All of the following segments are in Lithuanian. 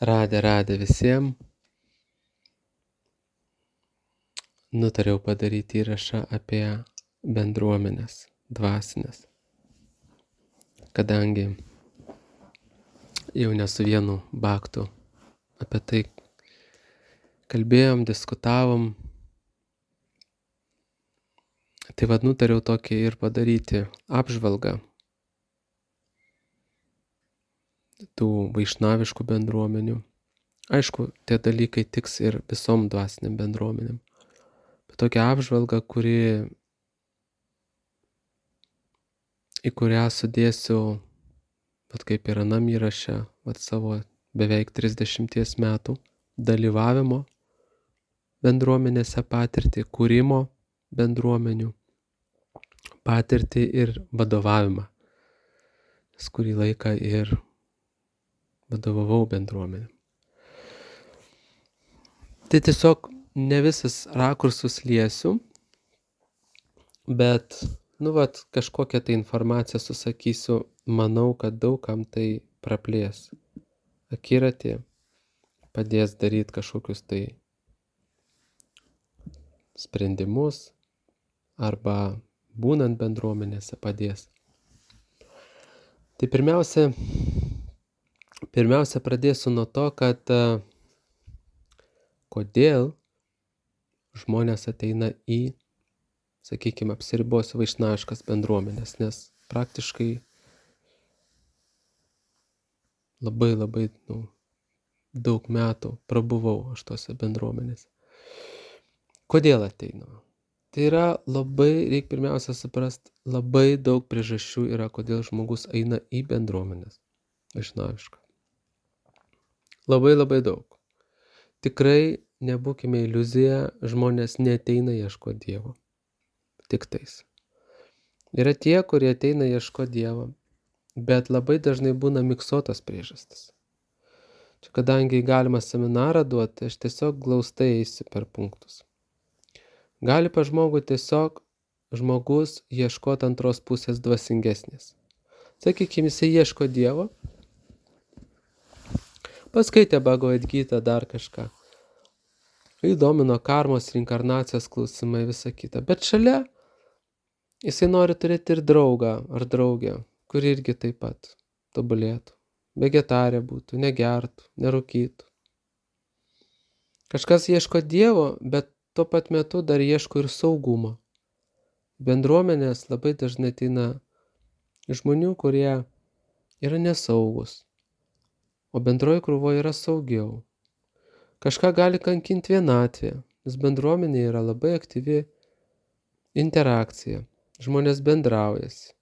Radę visiems. Nutariau padaryti įrašą apie bendruomenės dvasinės, kadangi jau ne su vienu baktu apie tai kalbėjom, diskutavom. Tai nutariau tokį ir padaryti apžvalgą tų vaišnaviškų bendruomenių. Aišku, tie dalykai tiks ir visom dvasiniam bendruomenėm. Bet tokia apžvalga, į kurią sudėsiu, kaip ir anam įraše, savo beveik 30 metų dalyvavimo bendruomenėse patirtį, kūrimo bendruomenių patirtį ir vadovavimą. Nes kurį laiką ir vadovavau bendruomenėm. Tai tiesiog ne visas rakursus liesiu, bet, kažkokią tai informaciją susakysiu, manau, kad daugam tai praplės akiratį, padės daryti kažkokius tai sprendimus arba būnant bendruomenėse padės. Tai pirmiausia pradėsiu nuo to, kad kodėl žmonės ateina į, sakykime, apsiribosiu vaišnaviškas bendruomenės, nes praktiškai labai daug metų prabuvau aš tose bendruomenėse. Kodėl ateinu? Tai yra reikia pirmiausia suprasti, labai daug priežasčių yra, kodėl žmogus eina į bendruomenės vaišnavišką. Labai daug. Tikrai nebūkime iliuzija, žmonės neateina ieškoti Dievo. Tik tais. Yra tie, kurie ateina ieškoti Dievo, bet labai dažnai būna miksuotos priežastis. Čia kadangi galima seminarą duoti, aš tiesiog glaustai eisiu per punktus. Gali pas žmogų tiesiog žmogus ieškoti antros pusės dvasingesnės. Sakykime, jisai ieško Dievo, paskaitė Bhagavad Gitą, dar kažką. Įdomino karmos, reinkarnacijos klausimai, visa kita. Bet šalia jisai nori turėti ir draugą ar draugę, kuri irgi taip pat tobulėtų. Vegetarė būtų, negertų, nerūkytų. Kažkas ieško Dievo, bet tuo pat metu dar ieško ir saugumo. Bendruomenės labai dažnai ateina žmonių, kurie yra nesaugus, o bendroji krūvoje yra saugiau. Kažką gali kankinti vienatvė, nes bendruomenė yra labai aktyvi interakcija. Žmonės bendraujasi.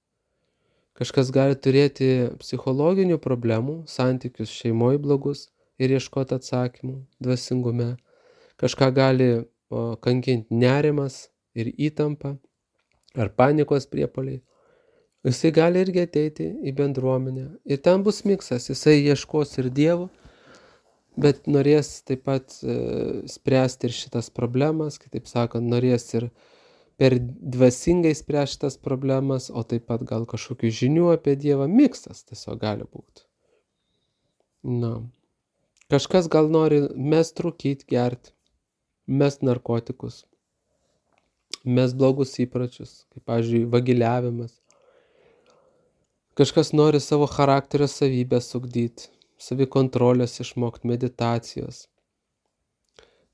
Kažkas gali turėti psichologinių problemų, santykius šeimoje blogus ir ieškoti atsakymų dvasingume. Kažką gali kankinti nerimas ir įtampa ar panikos priepuoliai. Jisai gali irgi ateiti į bendruomenę. Ir ten bus miksas. Jisai ieškos ir Dievo, bet norės taip pat spręsti ir šitas problemas, kitaip sakant, norės ir per dvasingai spręsti šitas problemas, o taip pat gal kažkokių žinių apie Dievą. Miksas tiesiog gali būti. Kažkas gal nori mest rūkyti, gerti, mest narkotikus, mest blogus įpročius, kaip, pavyzdžiui, vagiliavimas. Kažkas nori savo charakterio savybės ugdyti, savikontrolės išmokti, meditacijos.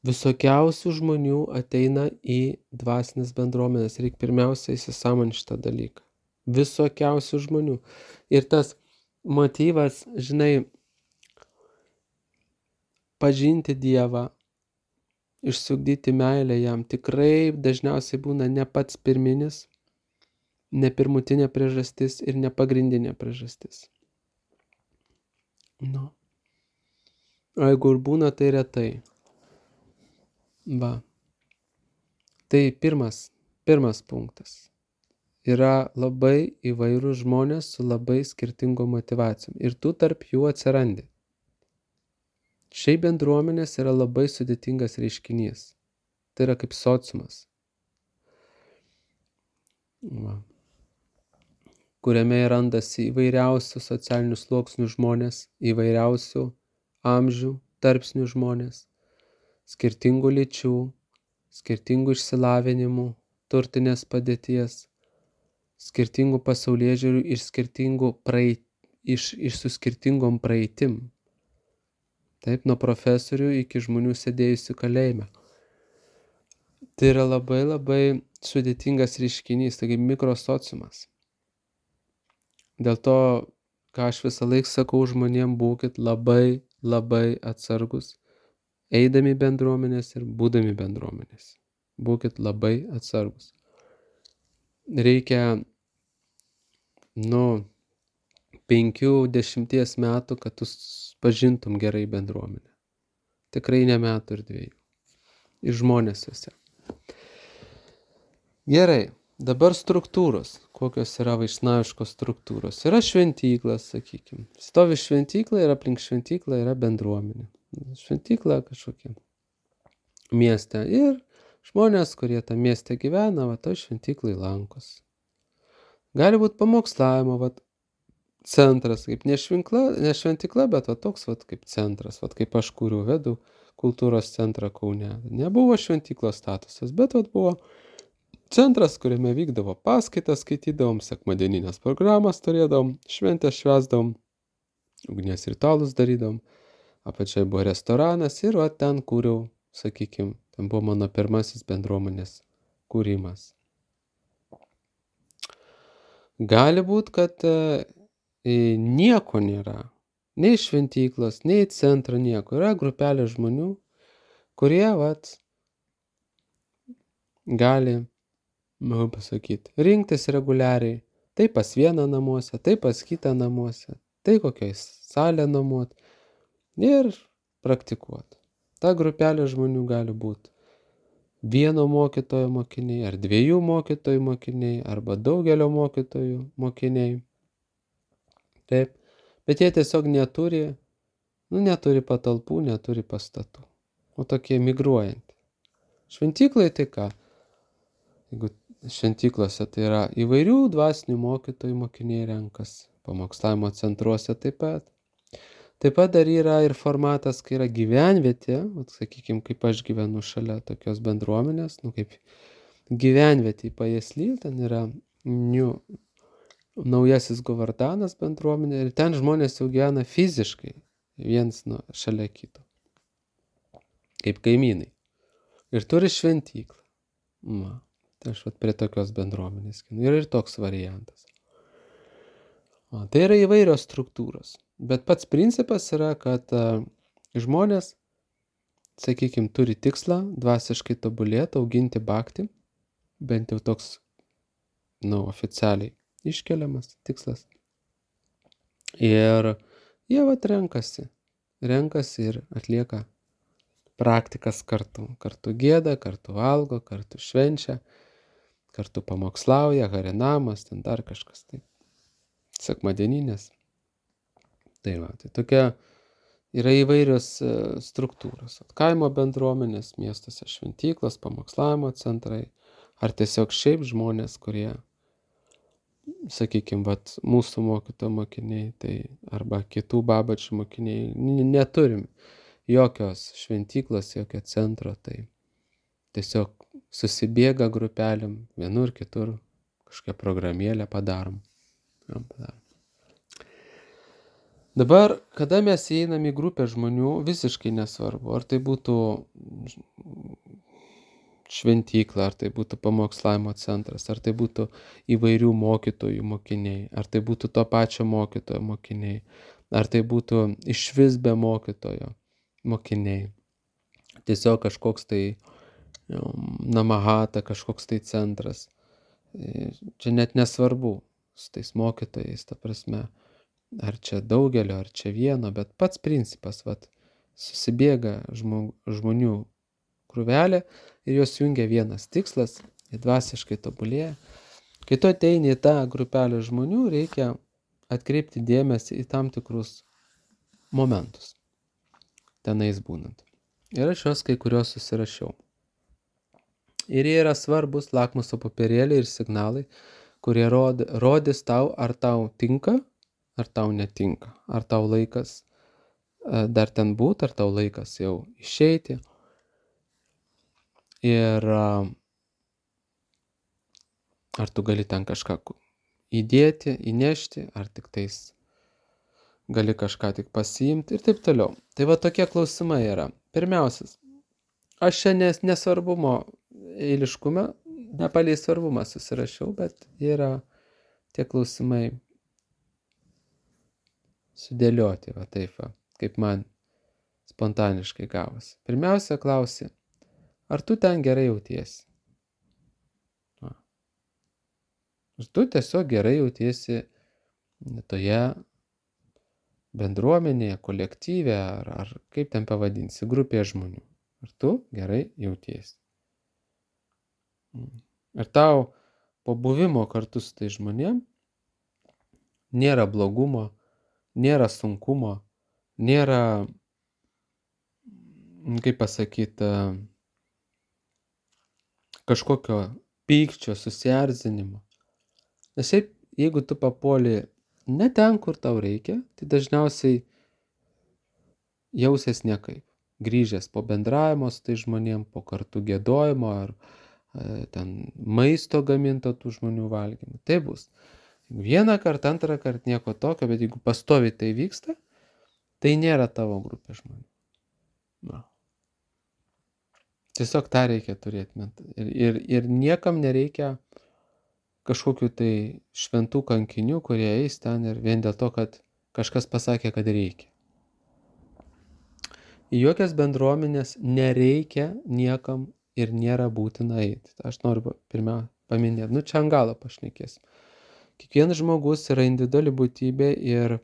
Visokiausių žmonių ateina į dvasinės bendruomenės. Reikia pirmiausia įsisąmoninti šitą dalyką. Visokiausių žmonių. Ir tas motyvas, pažinti Dievą, išsiugdyti meilę jam, tikrai dažniausiai būna ne pats pirminis, ne pirmutinė priežastis ir ne pagrindinė priežastis. O jeigu ir būna, tai retai. Tai pirmas punktas. Yra labai įvairūs žmonės su labai skirtingom motyvacijom. Ir tu tarp jų atsirandi. Šiaip bendruomenės yra labai sudėtingas reiškinys. Tai yra kaip sociumas. Kuriame randasi įvairiausių socialinių sluoksnių žmonės, įvairiausių amžių tarpsnių žmonės, skirtingų lyčių, skirtingų išsilavinimų, turtinės padėties, skirtingų pasaulėžiūrių ir su skirtingom praeitim. Taip, nuo profesorių iki žmonių sėdėjusių kalėjime. Tai yra labai labai sudėtingas reiškinys, taigi mikrosociumas. Dėl to, ką aš visą laiką sakau žmonėm, būkit labai labai atsargus, eidami bendruomenės ir būdami bendruomenės. Būkit labai atsargus. Reikia 5-10 metų, kad tu pažintum gerai bendruomenę. Tikrai ne metų ir 2. Ir žmonės juose. Gerai, dabar struktūros. Kokios yra vaišnaviškos struktūros? Yra šventyklas, sakykime. Stovi šventykla ir aplink šventyklą yra bendruomenė. Šventykla kažkokia mieste. Ir žmonės, kurie tam mieste gyvena, toj šventyklai lankosi. Gali būti pamokslavimo, centras, kaip ne šventykla, bet toks kaip centras, kaip aš kuriu, vedu kultūros centrą Kaune. Nebuvo šventyklos statusas, bet buvo centras, kuriame vykdavo paskaitas, skaitydavom, sekmadieninės programas turėdavom, šventės švęsdavom, ugnies ritualus darydavom, apačiai buvo restoranas ir ten kūriau, sakykime, ten buvo mano pirmasis bendruomenės kūrimas. Gali būti, kad nieko nėra, nei šventyklos, nei centro, nieko. Yra grupelė žmonių, kurie, gali, rinktis reguliariai, tai pas vieną namuose, tai pas kitą namuose, tai kokioj salę nuomot ir praktikuoti. Ta grupelė žmonių gali būti vieno mokytojo mokiniai, ar 2 mokytojų mokiniai, arba daugelio mokytojų mokiniai. Taip, bet jie tiesiog neturi patalpų, neturi pastatų. O tokie migruojantys. Šventyklai tai ką? Jeigu šventyklose tai yra įvairių dvasinių mokytojų mokiniai renkasi, pamokslavimo centruose taip pat. Taip pat dar yra ir formatas, kai yra gyvenvietė, sakykime, kaip aš gyvenu šalia tokios bendruomenės, kaip gyvenvietė į Pajėsly, ten yra naujasis Govardanas bendruomenė ir ten žmonės jau gyvena fiziškai, viens šalia kito, kaip kaimynai. Ir turi šventyklą. Tai aš prie tokios bendruomenės. Ir toks variantas. Tai yra įvairios struktūros. Bet pats principas yra, kad žmonės, sakykime, turi tikslą dvasiškai tobulėti, auginti bhaktį, bent jau toks, oficialiai iškeliamas tikslas. Ir jie renkasi ir atlieka praktikas kartu. Kartu gieda, kartu valgo, kartu švenčia, kartu pamokslauja, harinamas, ten dar kažkas taip. Sekmadieninės. Tai tokia yra įvairios struktūros. Kaimo bendruomenės, miestuose šventyklos, pamokslavimo centrai, ar tiesiog šiaip žmonės, kurie, sakykime, mūsų mokytojų mokiniai, tai arba kitų babačių mokiniai, neturim jokios šventyklos, jokio centro, tai tiesiog susibėga grupelėm, vienur, kitur, kažkokią programėlę padarom. Dabar, kada mes įeinam į grupę žmonių, visiškai nesvarbu, ar tai būtų šventykla, ar tai būtų pamokslavimo centras, ar tai būtų įvairių mokytojų mokiniai, ar tai būtų to pačio mokytojo mokiniai, ar tai būtų išvis be mokytojo mokiniai. Tiesiog kažkoks tai namahata, kažkoks tai centras. Čia net nesvarbu su tais mokytojais, ta prasme, ar čia daugelio, ar čia vieno, bet pats principas, susibėga žmonių krūvelė ir jos jungia vienas tikslas, jie dvasiškai tobulėja. Kai tu ateini į tą grupelę žmonių, reikia atkreipti dėmesį į tam tikrus momentus, tenais būnant. Ir aš juos kai kurios susirašiau. Ir jie yra svarbus lakmuso popierėliai ir signalai, kurie rodys tau, ar tau tinka, ar tau netinka, ar tau laikas dar ten būt, ar tau laikas jau išeiti. Ir ar tu gali ten kažką įdėti, įnešti, ar tik tais gali kažką tik pasiimti ir taip toliau. Tai va tokie klausimai yra. Pirmiausias, aš čia nesvarbumo eiliškume, nepalei svarbumą susirašiau, bet yra tie klausimai sudėlioti, va taip va, kaip man spontaniškai gavosi. Pirmiausia, klausi, ar tu ten gerai jautiesi? Ar tu tiesiog gerai jautiesi toje bendruomenėje, kolektyve, ar kaip ten pavadinsi, grupėje žmonių? Ar tu gerai jautiesi? Ir tau po buvimo kartu su tai žmonėm nėra blogumo, nėra sunkumo, nėra, kaip pasakyti, kažkokio pykčio, susierzinimo. Nes šiaip, jeigu tu papuoli ne ten, kur tau reikia, tai dažniausiai jausies nekaip. Grįžęs po bendravimo su tai žmonėm, po kartu giedojimo ar ten maisto gaminto tų žmonių valgymų. Tai bus. Vieną kartą, antrą kartą nieko tokio, bet jeigu pastoviai tai vyksta, tai nėra tavo grupė žmonių. Na. Tiesiog tą reikia turėti. Ir niekam nereikia kažkokių tai šventų kankinių, kurie eis ten ir vien dėl to, kad kažkas pasakė, kad reikia. Į jokias bendruomenės nereikia niekam ir nėra būtina eiti. Aš noriu pirmiausia paminėti, čia ant galo pašnekėsim. Kiekvienas žmogus yra individuali būtybė ir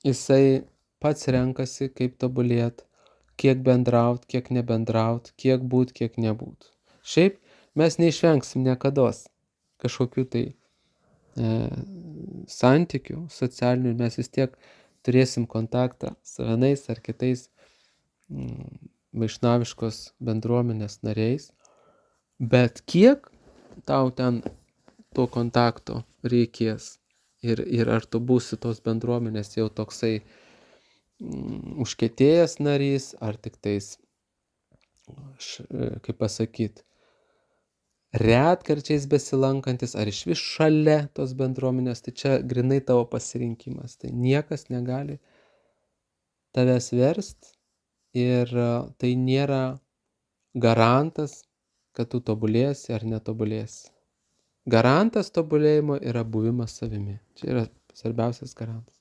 jisai pats renkasi, kaip tobulėti, kiek bendraut, kiek nebendraut, kiek būt, kiek nebūt. Šiaip mes neišvengsim niekados kažkokių tai santykių socialinių, mes vis tiek turėsim kontaktą su vienais ar kitais vaišnaviškos bendruomenės nariais, bet kiek tau ten to kontakto reikės ir ar tu būsi tos bendruomenės jau toksai užkietėjęs narys, ar tik tais, kaip pasakyti, retkarčiais besilankantis, ar iš vis šalia tos bendruomenės, tai čia grinai tavo pasirinkimas. Tai niekas negali tavęs verst ir tai nėra garantas, kad tu tobulėsi ar netobulėsi. Garantas tobulėjimo yra buvimas savimi. Čia yra svarbiausias garantas.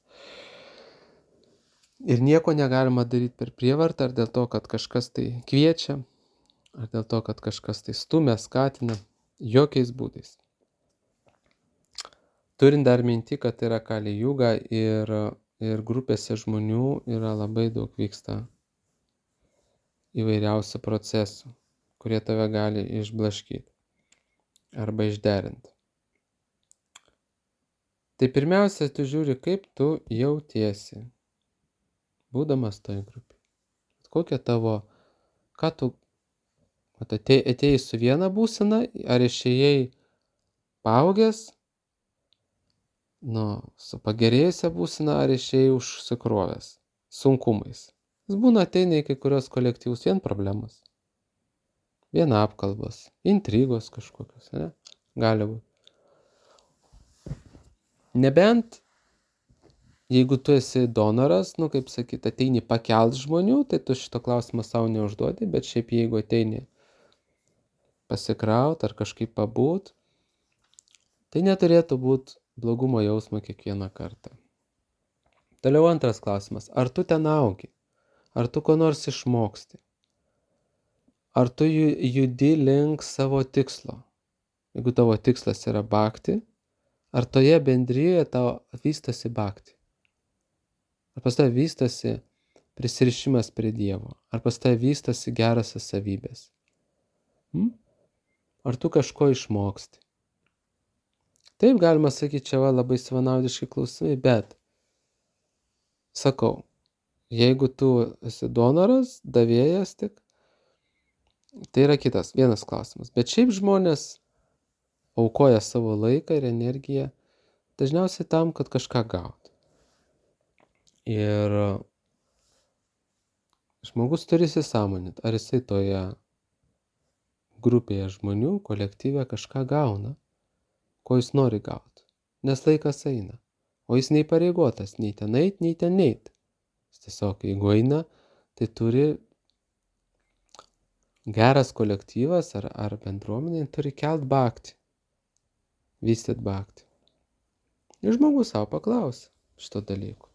Ir nieko negalima daryti per prievartą, ar dėl to, kad kažkas tai kviečia, ar dėl to, kad kažkas tai stumia, skatina, jokiais būdais. Turint dar minti, kad yra kali juga ir grupėse žmonių yra labai daug vyksta įvairiausių procesų, kurie tave gali išblaškyti arba išderinti. Tai pirmiausia, tu žiūri, kaip tu jautiesi, būdamas toj grupėje. Kokia tavo, ką tu atėjai su viena būsena, ar išėjai paaugęs, su pagerėjusia būsena, ar išėjai užsikrovęs sunkumais. Jis būna ateina į kai kurios kolektyvus vien problemas, vien apkalbos, intrigos kažkokios, ne? Gali būti. Nebent, jeigu tu esi donoras, kaip sakyti, ateini pakelt žmonių, tai tu šito klausimą savo neužduodi, bet šiaip jeigu ateini pasikraut ar kažkaip pabūt, tai neturėtų būti blogumo jausmo kiekvieną kartą. Toliau antras klausimas. Ar tu ten augi? Ar tu ko nors išmoksti? Ar tu judi link savo tikslo? Jeigu tavo tikslas yra bhakti, ar toje bendrijoje tavo vystosi bhakti? Ar pas tave vystosi prisirišimas prie Dievo? Ar pas tave vystosi gerosios savybės? Ar tu kažko išmoksti? Taip galima sakyti, čia labai savanaudiški klausimai, bet sakau, jeigu tu esi donoras, davėjas tik, tai yra vienas klausimas. Bet šiaip žmonės aukoja savo laiką ir energiją dažniausiai tam, kad kažką gautų. Ir žmogus turi įsisąmoninti, ar jisai toje grupėje žmonių, kolektyve kažką gauna, ko jis nori gauti. Nes laikas eina. O jis neįpareigotas nei ten eit, nei ten neit. Jis tiesiog, jeigu eina, tai turi geras kolektyvas ar bendruomenė turi kelt bhaktį, vystyt bhaktį. Ir žmogus savo paklausia šito dalyko.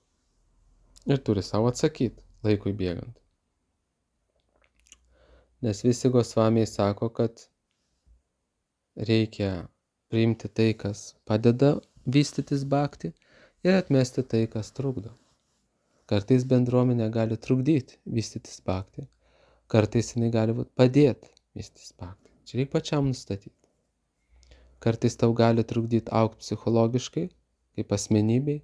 Ir turi savo atsakyti laikui bėgant. Nes visi Gosvamiai sako, kad reikia priimti tai, kas padeda vystytis bhaktį ir atmesti tai, kas trukdo. Kartais bendruomenė gali trukdyti vystytis bhaktį. Kartais jinai gali padėti vystytis bhaktį. Čia reikia pačiam nustatyti. Kartais tau gali trukdyti augti psichologiškai, kaip asmenybei,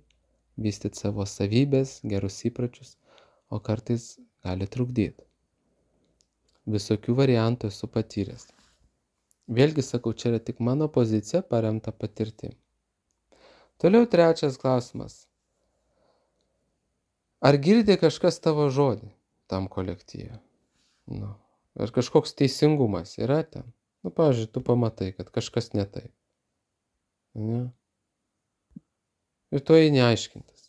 vystyti savo savybės, gerus įpročius, o kartais gali trukdyti. Visokių variantų esu patyręs. Vėlgi sakau, čia yra tik mano pozicija paremta patirtim. Toliau trečias klausimas. Ar girdi kažkas tavo žodį tam kolektyve? Ar kažkoks teisingumas yra ten? Pavyzdžiui, tu pamatai, kad kažkas ne taip. Ne? Ir tu eini aiškintis.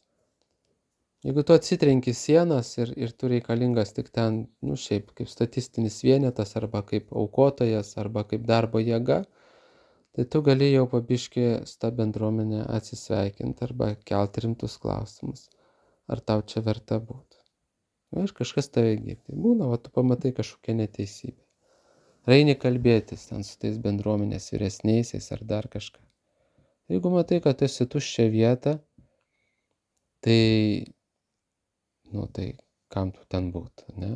Jeigu tu atsitrenki sienas ir tu reikalingas tik ten, šiaip kaip statistinis vienetas, arba kaip aukotojas, arba kaip darbo jėga, tai tu gali jau pabiškį su ta bendruomenė atsisveikinti arba kelti rimtus klausimus. Ar tau čia verta būti? Ir kažkas tave girdi. Būna, tu pamatai kažkokią neteisybę. Reini kalbėtis ten su tais bendruomenės vyresniaisiais ar dar kažką. Jeigu matai, kad esi tuščia vieta, tai kam tu ten būtų, ne?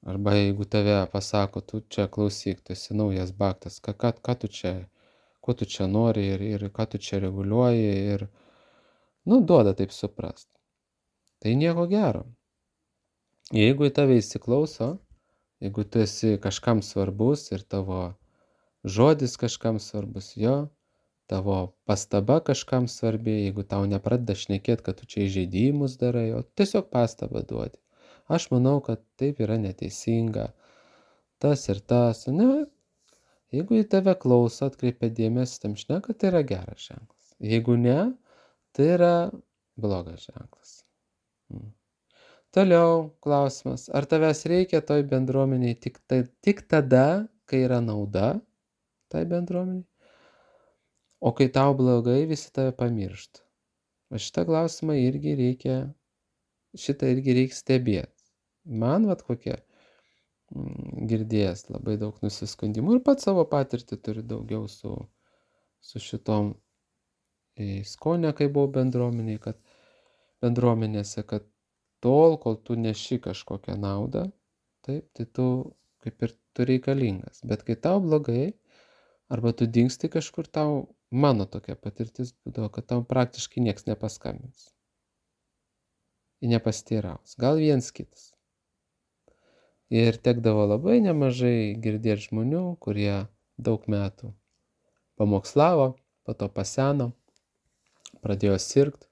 Arba jeigu tave pasako, tu čia klausyk, tu esi naujas bhaktas, ko tu čia nori ir ką tu čia reguliuoji ir, duoda taip suprast. Tai nieko gero. Jeigu į tave įsiklauso, jeigu tu esi kažkam svarbus ir tavo žodis kažkam svarbus, tavo pastaba kažkam svarbi, jeigu tau nepradeda šnekėti, kad tu čia įžeidimus darai, o tiesiog pastabą duodi. Aš manau, kad taip yra neteisinga, tas ir tas, ne? Jeigu į tave klauso, atkreipia dėmesį, tam šneka, tai yra geras ženklas. Jeigu ne, tai yra blogas ženklas. Toliau klausimas, ar tavęs reikia toj bendruomeniai tik tada, kai yra nauda tai bendruomeniai? O kai tau blogai, visi tave pamiršta. Šitą klausimą irgi reikia stebėti. Man kokie girdėjęs labai daug nusiskundimų ir pats savo patirtį turi daugiau su šitom skonė, kai buvau bendruomenėse, kad tol, kol tu neši kažkokią naudą, taip, tai tu kaip ir tu reikalingas. Bet kai tau blogai, arba tu dingsti kažkur, mano tokia patirtis būdavo, kad tau praktiškai nieks nepaskambins. Ir nepasteiraus. Gal viens kitas. Ir tekdavo labai nemažai girdėti žmonių, kurie daug metų pamokslavo, po to paseno, pradėjo sirgt,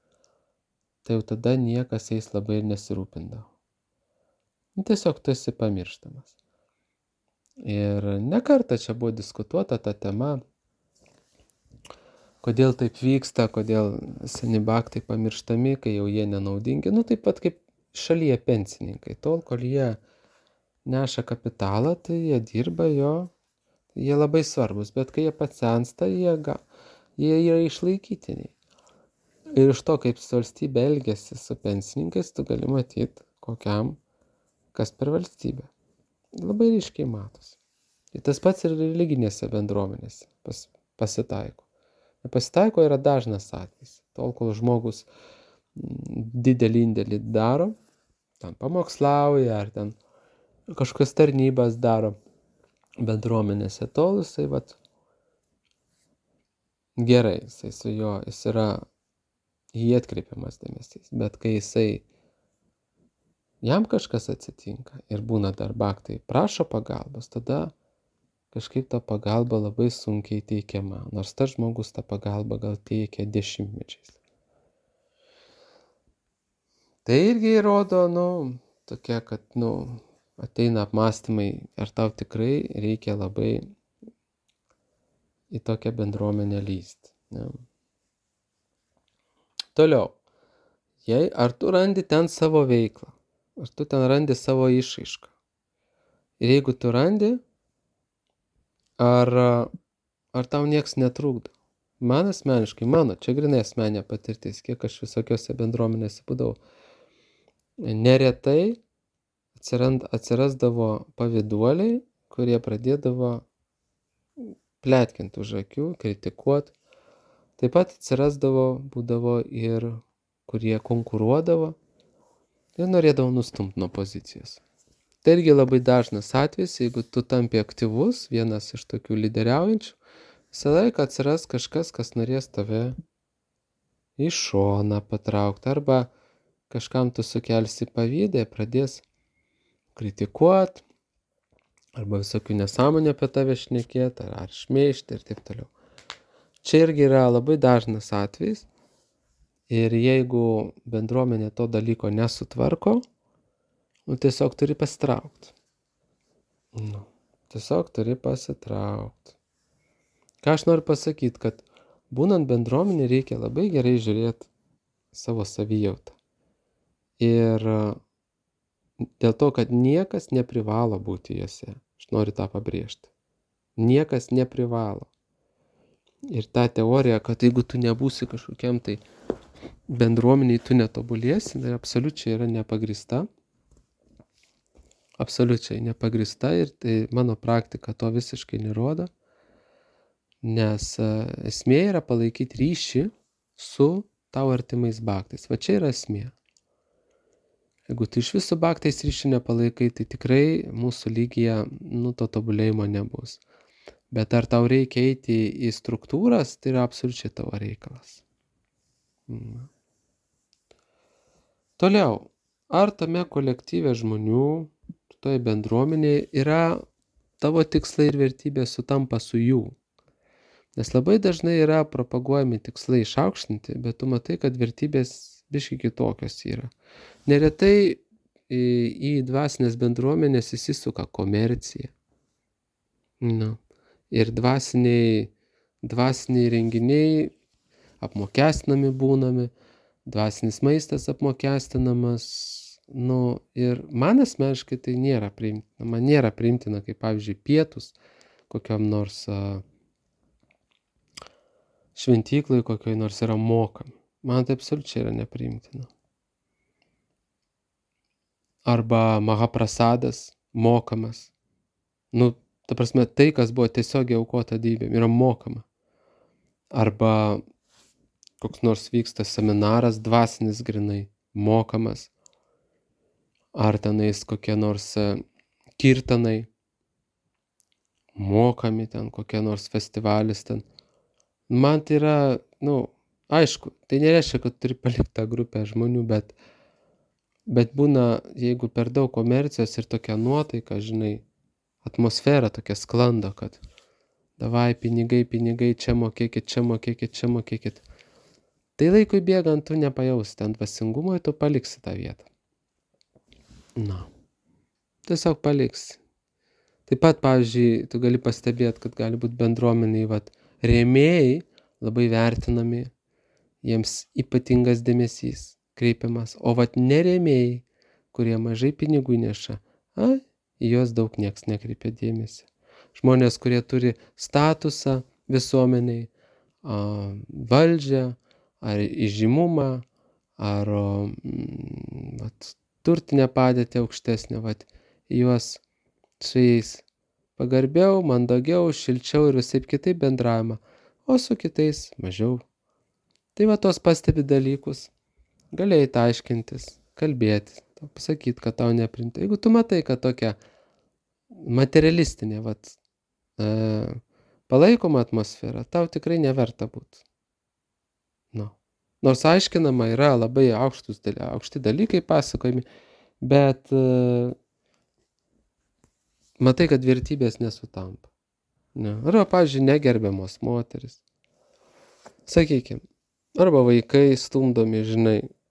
tai jau tada niekas jais labai ir nesirūpindavo. Tiesiog tu esi pamirštamas. Ir ne kartą čia buvo diskutuota ta tema, kodėl taip vyksta, kodėl seni bhaktai pamirštami, kai jau jie nenaudingi. Taip pat kaip šalyje pensininkai. Tol, kol jie neša kapitalą, tai jie dirba jie labai svarbus. Bet kai jie pasensta, jie yra išlaikytiniai. Ir iš to, kaip valstybė elgiasi su pensininkais, tu gali matyti, kas per valstybę. Labai ryškiai matosi. Ir tas pats ir religinėse bendruomenėse pasitaiko. Nepasitaiko yra dažnas atvejis. Tol, kol žmogus didelį indėlį daro, ten pamokslauja, ar ten kažkokias tarnybas daro bendruomenėse, tol jisai gerai, jis yra jį atkreipiamas dėmesys. Bet kai jam kažkas atsitinka ir būna dar bhaktai prašo pagalbos, tada kažkaip ta pagalba labai sunkiai teikiama, nors tas žmogus tą pagalbą gal teikia dešimtmečiais. Tai irgi rodo, tokia, kad, ateina apmąstymai, ar tau tikrai reikia labai į tokią bendruomenę lįsti. Ne? Toliau. Ar tu randi ten savo veiklą, ar tu ten randi savo išraišką. Ir jeigu tu randi, ar tau nieks netrukdo. Man asmeniškai, čia grynai asmeninė patirtis, kiek aš visokiose bendruomenėse būdavau, neretai atsirasdavo pavyduoliai, kurie pradėdavo pletkinti už akių, kritikuoti. Taip pat būdavo ir kurie konkuruodavo ir norėdavo nustumti nuo pozicijos. Tai irgi labai dažnas atvejis, jeigu tu tampi aktyvus, vienas iš tokių lyderiaujančių, visą laiką atsiras kažkas, kas norės tave į šoną patraukti, arba kažkam tu sukelsi pavydą, pradės kritikuoti, arba visokių nesąmonių apie tave šnekėti, ar šmeižti ir taip toliau. Čia irgi yra labai dažnas atvejis. Ir jeigu bendruomenė to dalyko nesutvarko, tiesiog turi pasitraukti. Tiesiog turi pasitraukti. Ką aš noriu pasakyti, kad būnant bendruomenė reikia labai gerai žiūrėti savo savijautą. Ir dėl to, kad niekas neprivalo būti juose. Aš noriu tą pabrėžti. Niekas neprivalo. Ir ta teorija, kad jeigu tu nebūsi kažkokiam tai bendruomeniai, tu netobulėsi, tai absoliučiai yra nepagrįsta. Absoliučiai nepagrįsta ir tai mano praktika to visiškai nerodo, nes esmė yra palaikyti ryšį su tau artimais baktais. Va čia yra esmė. Jeigu tu iš visų baktais ryšį nepalaikai, tai tikrai mūsų lygyje to tobulėjimo nebus. Bet ar tau reikia eiti į struktūras, tai yra absoliučiai tavo reikalas. Toliau, ar tame kolektyve žmonių, toje bendruomenėje yra tavo tikslai ir vertybės sutampa su jų? Nes labai dažnai yra propaguojami tikslai išaukštinti, bet tu matai, kad vertybės biškai kitokios yra. Neretai į dvasinės bendruomenės įsisuka komercija. Ir dvasiniai renginiai apmokestinami būnami, dvasinis maistas apmokestinamas, ir man asmeniškai tai nėra priimtina. Man nėra priimtina, kaip pavyzdžiui pietus kokiam nors šventyklai, kokioj nors yra mokami. Man tai absoliučiai yra nepriimtina. Arba mahaprasadas mokamas. Ta prasme, tai, kas buvo tiesiogiai aukota dievybėm, yra mokama. Arba koks nors vyksta seminaras dvasinis grinai, mokamas. Ar tenais kokie nors kirtanai, mokami ten, kokie nors festivalis ten. Man tai yra, aišku, tai nereiškia, kad turi palikti tą grupę žmonių, bet būna, jeigu per daug komercijos ir tokia nuotaika, atmosfera tokia sklando, kad davai pinigai, čia mokėkit. Tai laikui bėgant tu nepajausi ten dvasingumo ir tu paliksi tą vietą. Tiesiog paliksi. Taip pat, pavyzdžiui, tu gali pastebėti, kad gali būti bendruomeniai, rėmėjai labai vertinami, jiems ypatingas dėmesys kreipiamas, o nerėmėjai, kurie mažai pinigų neša, į juos daug nieks nekreipia dėmesį. Žmonės, kurie turi statusą visuomeniai, valdžią, ar įžymumą, ar turtinę padėtį aukštesnę, juos su jais pagarbiau, mandagiau, šilčiau ir visaip kitaip bendravimą, o su kitais mažiau. Tai tos pastebi dalykus, galėjai aiškintis, kalbėti, pasakyti, kad tau neprinta. Jeigu tu matai, kad tokia materialistinė, palaikoma atmosfera, tau tikrai neverta būti. Nors aiškinama yra labai aukšti dalykai pasakojami, bet matai, kad vertybės nesutampa. Arba, pavyzdžiui, negerbiamos moteris. Sakykime, arba vaikai stumdomi,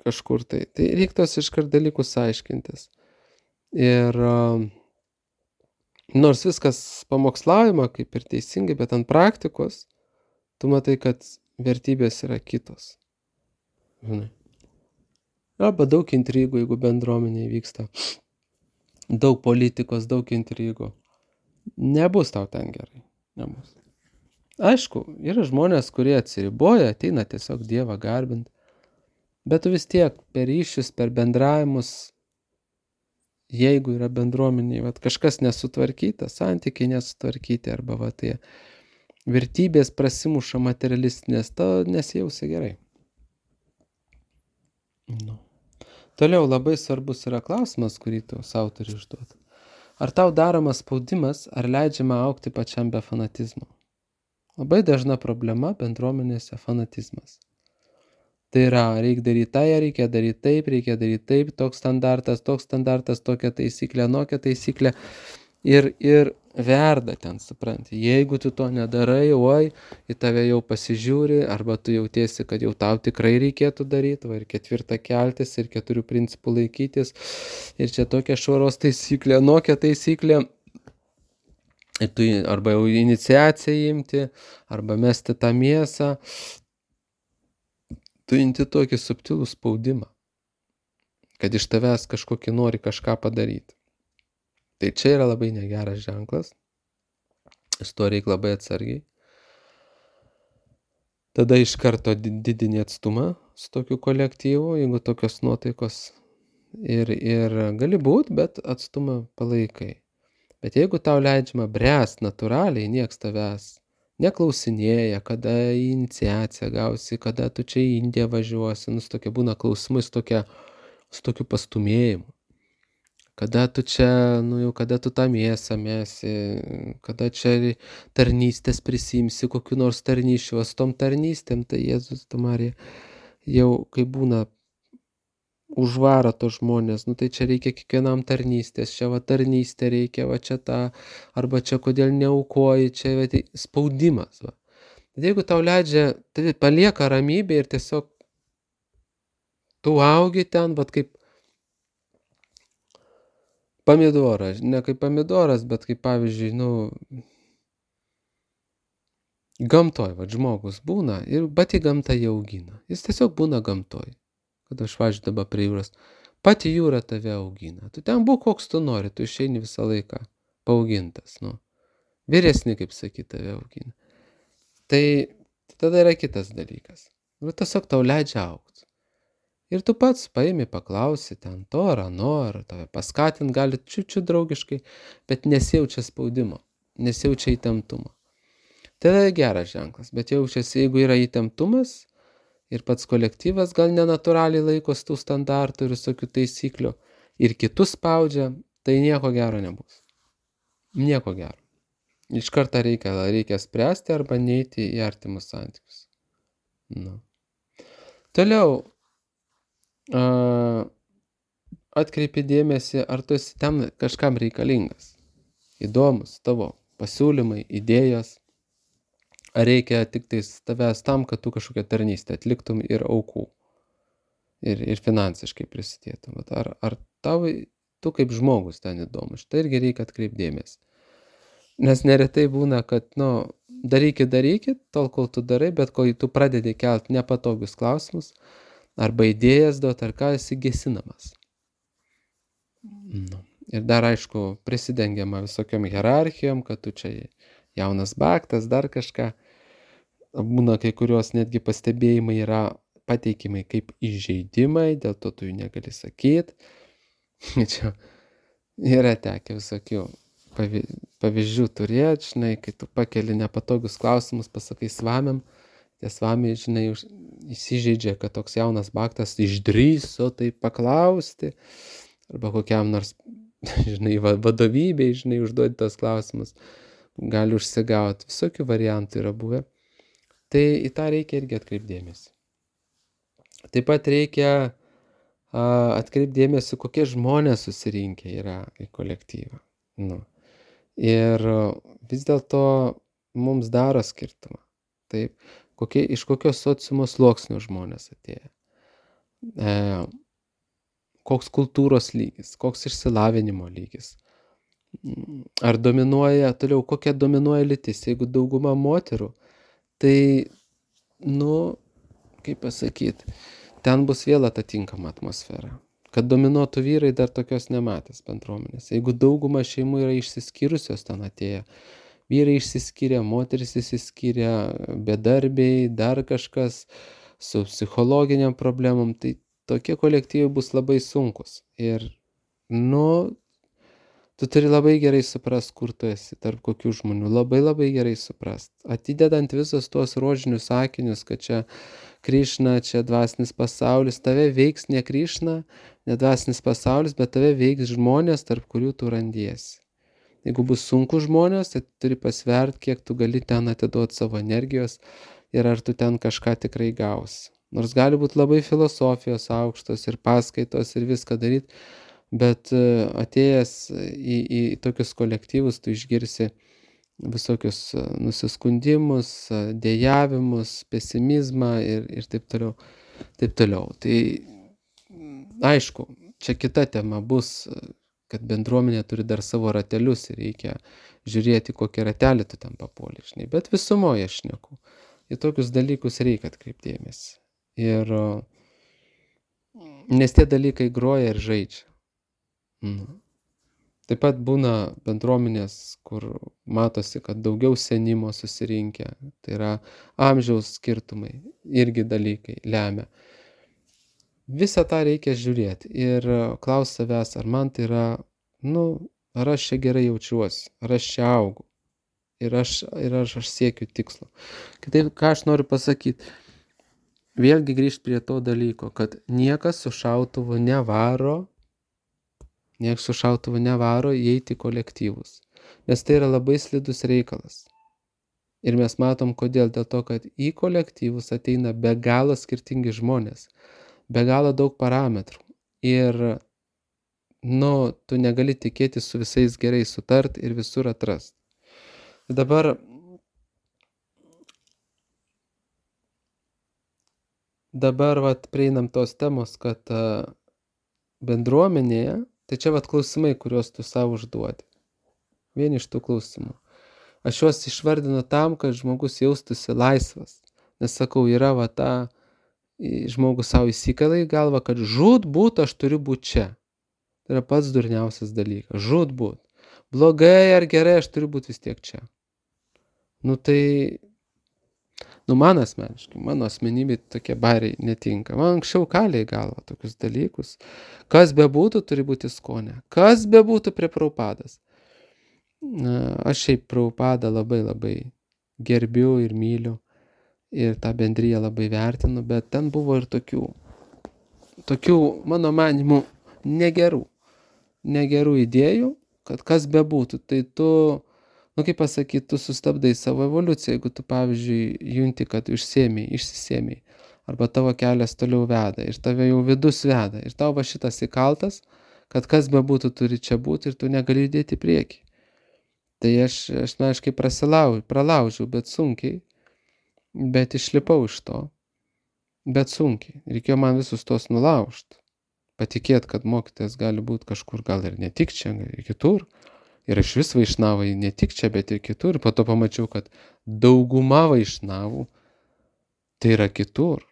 kažkur tai. Tai reiktos iškart dalykus aiškintis. Ir nors viskas pamokslaujama kaip ir teisingai, bet ant praktikos tu matai, kad vertybės yra kitos. Žinai. Arba daug intrigų, jeigu bendruomenėje vyksta. Daug politikos, daug intrigų. Nebus tau ten gerai. Nebus. Aišku, yra žmonės, kurie atsiriboja, ateina tiesiog Dievą garbinti. Bet tu vis tiek per ryšius, per bendravimus, jeigu yra bendruomeniai, vat, kažkas nesutvarkyta, santykiai nesutvarkyti, arba tai vertybės prasimuša materialistinės, to nesijausia gerai. Nu. Toliau labai svarbus yra klausimas, kurį tu savo turi užduoti. Ar tau daromas spaudimas, ar leidžiama augti pačiam be fanatizmo? Labai dažna problema bendruomenėse fanatizmas. Tai yra, reikia daryti taip, toks standartas, tokia taisyklė, anokia taisyklė. Ir verda ten, supranti. Jeigu tu to nedarai, į tave jau pasižiūri, arba tu jautiesi, kad jau tau tikrai reikėtų daryti, ir 4 keltis, ir 4 principų laikytis, ir čia tokia švaros taisyklė, anokia taisyklė. Ir tu arba jau iniciaciją imti, arba mesti tą mėsą. Tu imti tokį subtilų spaudimą, kad iš tavęs kažkokį nori kažką padaryti. Tai čia yra labai negeras ženklas. Su to reikia labai atsargiai. Tada iš karto didini atstumą su tokiu kolektyvu, jeigu tokios nuotaikos ir gali būt, bet atstumą palaikai. Bet jeigu tau leidžiama bręst natūraliai, nieks tavęs neklausinėja, kada į iniciaciją gausi, kada tu čia į Indiją važiuosi, tokie būna klausimai su tokiu pastumėjimu. Kada tu čia, jau kada tu tą mėsą mesi, kada čia tarnystės prisimsi, kokiu nors tarnyšiu, su tom tarnystėm, tai Jėzus, tu Marija, jau kai būna užvaro to žmonės, tai čia reikia kiekvienam tarnystės, čia tarnystė reikia, čia tą, arba čia kodėl neaukoji, čia spaudimas. Bet jeigu tau leidžia, tai palieka ramybė ir tiesiog tu augi ten, kaip pomidoras, ne kaip pomidoras, bet kaip pavyzdžiui, gamtoj, žmogus būna, bet į gamtą jį augina. Jis tiesiog būna gamtoj. Kad aš važiuoju dabar prie jūros, pati jūra tave augina. Tu ten būk koks tu nori, tu išeini visą laiką paaugintas. Vyresni, kaip sakyt, tave augina. Tai tada yra kitas dalykas. Tiesiog tau leidžia augti. Ir tu pats paimi, paklausi ten to ar ano, ar tave paskatint gali čiučiu draugiškai, bet nesijaučia spaudimo, nesijaučia įtemptumo. Tai geras ženklas, bet jaučiasi, jeigu yra įtemptumas, ir pats kolektyvas gal nenatūraliai laikos tų standartų ir visokių taisyklių, ir kitus spaudžia, tai nieko gero nebus. Nieko gero. Iš karto reikia spręsti arba neiti į artimus santykius. Toliau, atkreipi dėmesį, ar tu esi ten kažkam reikalingas. Įdomus tavo pasiūlymai, idėjos. Ar reikia tik tais tavęs tam, kad tu kažkokią tarnystę atliktum ir aukų. Ir finansiškai prisidėtum. Ar tu kaip žmogus ten įdomus. Štai irgi reikia atkreipdėmės. Nes neretai būna, kad, darykit, tol kol tu darai, bet kol tu pradedi kelti nepatogius klausimus, arba idėjas duot, ar ką esi gesinamas. Ir dar, aišku, prisidengiama visokiom hierarchijom, kad tu čia jaunas baktas, dar kažką. Būna kai kurios netgi pastebėjimai yra pateikimai kaip įžeidimai, dėl to tu jų negali sakyti. Čia yra tekę visokių pavyzdžių turėti, žinai, kai tu pakeli nepatogius klausimus, pasakai svamiam, tie svamiai, žinai, įsižeidžia, kad toks jaunas baktas išdrįso tai paklausti, arba kokiam nors, žinai, vadovybei, žinai, užduoti tos klausimus, gali užsigauti, visokių variantų yra buvę. Tai į tą reikia irgi atkreipdėmėsi. Taip pat reikia atkreipdėmėsi, kokie žmonės susirinkę yra į kolektyvą. Ir vis dėlto mums daro skirtumą. Taip, iš kokios sociumo sluoksnių žmonės atėjo. koks kultūros lygis, koks išsilavinimo lygis. Ar dominuoja, toliau, kokia dominuoja lytis. Jeigu dauguma moterų, tai, kaip pasakyti, ten bus vėl atitinkama atmosfera. Kad dominuotų vyrai, dar tokios nematęs bendruomenės. Jeigu dauguma šeimų yra išsiskyrusios ten atėję, vyrai išsiskyrė, moteris išsiskyrė, bedarbiai, dar kažkas su psichologiniam problemom, tai tokie kolektyvai bus labai sunkus. Ir, tu turi labai gerai suprast, kur tu esi, tarp kokių žmonių. Labai labai gerai suprast. Atidedant visus tuos rožinius sakinius, kad čia Krišna, čia dvasinis pasaulis, tave veiks ne Krišna, ne dvasinis pasaulis, bet tave veiks žmonės, tarp kurių tu randiesi. Jeigu bus sunku žmonės, tai turi pasvert, kiek tu gali ten atiduoti savo energijos ir ar tu ten kažką tikrai gausi. Nors gali būti labai filosofijos aukštos ir paskaitos ir viską daryti, bet atėjęs į tokius kolektyvus tu išgirsi visokius nusiskundimus, dejavimus, pesimizmą ir taip toliau. Taip toliau. Tai aišku, čia kita tema bus, kad bendruomenė turi dar savo ratelius ir reikia žiūrėti, kokį ratelį tu ten papuoli, žinai. Bet visumoje aš šneku. Į tokius dalykus reikia atkreipti dėmesį. Ir nes tie dalykai groja ir žaidžia. Taip pat būna bendruomenės, kur matosi, kad daugiau senimo susirinkę. Tai yra amžiaus skirtumai, irgi dalykai lemia. Visą tą reikia žiūrėti ir klaus savęs, ar man tai yra, ar aš čia gerai jaučiuosi, ar aš čia augu ir aš siekiu tikslo. Kitaip, ką aš noriu pasakyti, vėlgi grįžti prie to dalyko, kad niekas su šautuvu nevaro įeiti į kolektyvus, nes tai yra labai slidus reikalas. Ir mes matom, kodėl, dėl to, kad į kolektyvus ateina be galo skirtingi žmonės, be galo daug parametrų. Ir, tu negali tikėti su visais gerai sutart ir visur atrast. Dabar prieinam tos temos, kad bendruomenėje, tai čia klausimai, kuriuos tu savo užduodi. Vieni iš tų klausimų. Aš juos išvardinu tam, kad žmogus jaustųsi laisvas. Nes sakau, yra žmogus savo įsikala į galvą, kad žūtbūt aš turiu būti čia. Tai yra pats durniausias dalykas. Žūtbūt. Blogai ar gerai aš turiu būti vis tiek čia. Man asmeniškai, mano asmenybė tokie bariai netinka. Man anksčiau kalė į galvą tokius dalykus. Kas bebūtų, turi būti skonė. Kas bebūtų prie Prabhupadas. Aš šiaip Prabhupadą labai labai gerbiu ir myliu. Ir tą bendriją labai vertinu, bet ten buvo ir tokių mano manimų, negerų idėjų, kad kas bebūtų, tai tu, kaip pasakyti, tu sustabdai savo evoliuciją, jeigu tu, pavyzdžiui, junti, kad išsisėmei, arba tavo kelias toliau veda, ir tave jau vidus veda, ir tau šitas įkaltas, kad kas bebūtų turi čia būti, ir tu negali judėti į priekį. Tai aš aiškiai pralaužiau, bet sunkiai, bet išlipau iš to, bet sunkiai. Reikėjo man visus tos nulaužti. Patikėt, kad mokytojas gali būti kažkur, gal ir ne tik čia, gal ir kitur. Ir aš vis vaišnavai ne tik čia, bet ir kitur. Ir po to pamačiau, kad dauguma vaišnavų tai yra kitur.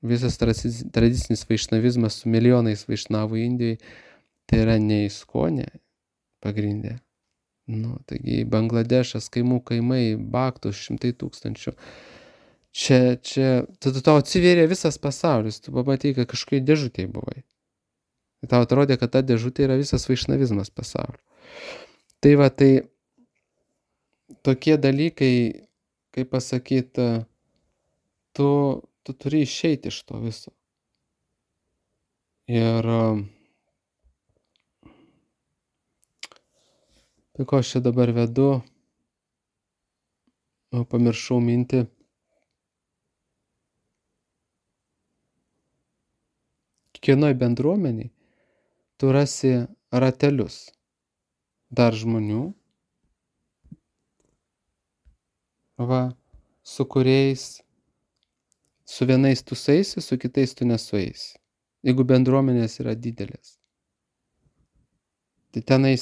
Visas tradicinis vaišnavizmas su milijonais vaišnavų Indijai, tai yra ne įskonė pagrindė. Taigi Bangladešas, kaimai, baktus, 100 000. Čia, tada tau atsivėrė visas pasaulis, tu pamatai, kad kažkokiai dėžutėje buvai. Tau atrodė, kad ta dėžutė yra visas vaišnavizmas pasaulio. Tai tokie dalykai, kaip pasakyti, tu turi išeiti iš to viso. Ir tai ko aš čia dabar vedu, pamiršau mintį. Kiekvienoj bendruomeniai tu rasi ratelius dar žmonių, su kuriais, su vienais tu sueisi, su kitais tu nesueisi. Jeigu bendruomenės yra didelės. Tai tenais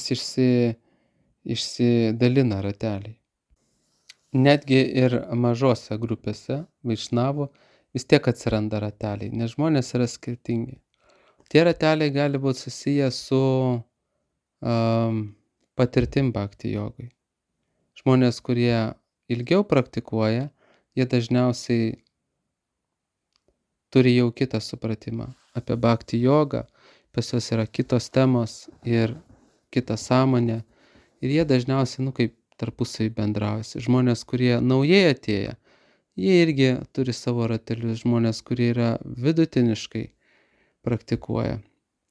išsidalina rateliai. Netgi ir mažose grupėse vaišnavų vis tiek atsiranda rateliai, nes žmonės yra skirtingi. Tie rateliai gali būti susiję su patirtim bhakti jogai. Žmonės, kurie ilgiau praktikuoja, jie dažniausiai turi jau kitą supratimą apie bhakti jogą, pas juos yra kitos temos ir kita sąmonė. Ir jie dažniausiai, kaip tarpusavy bendraujasi. Žmonės, kurie naujai atėję, jie irgi turi savo ratelius. Žmonės, kurie yra vidutiniškai praktikuoja.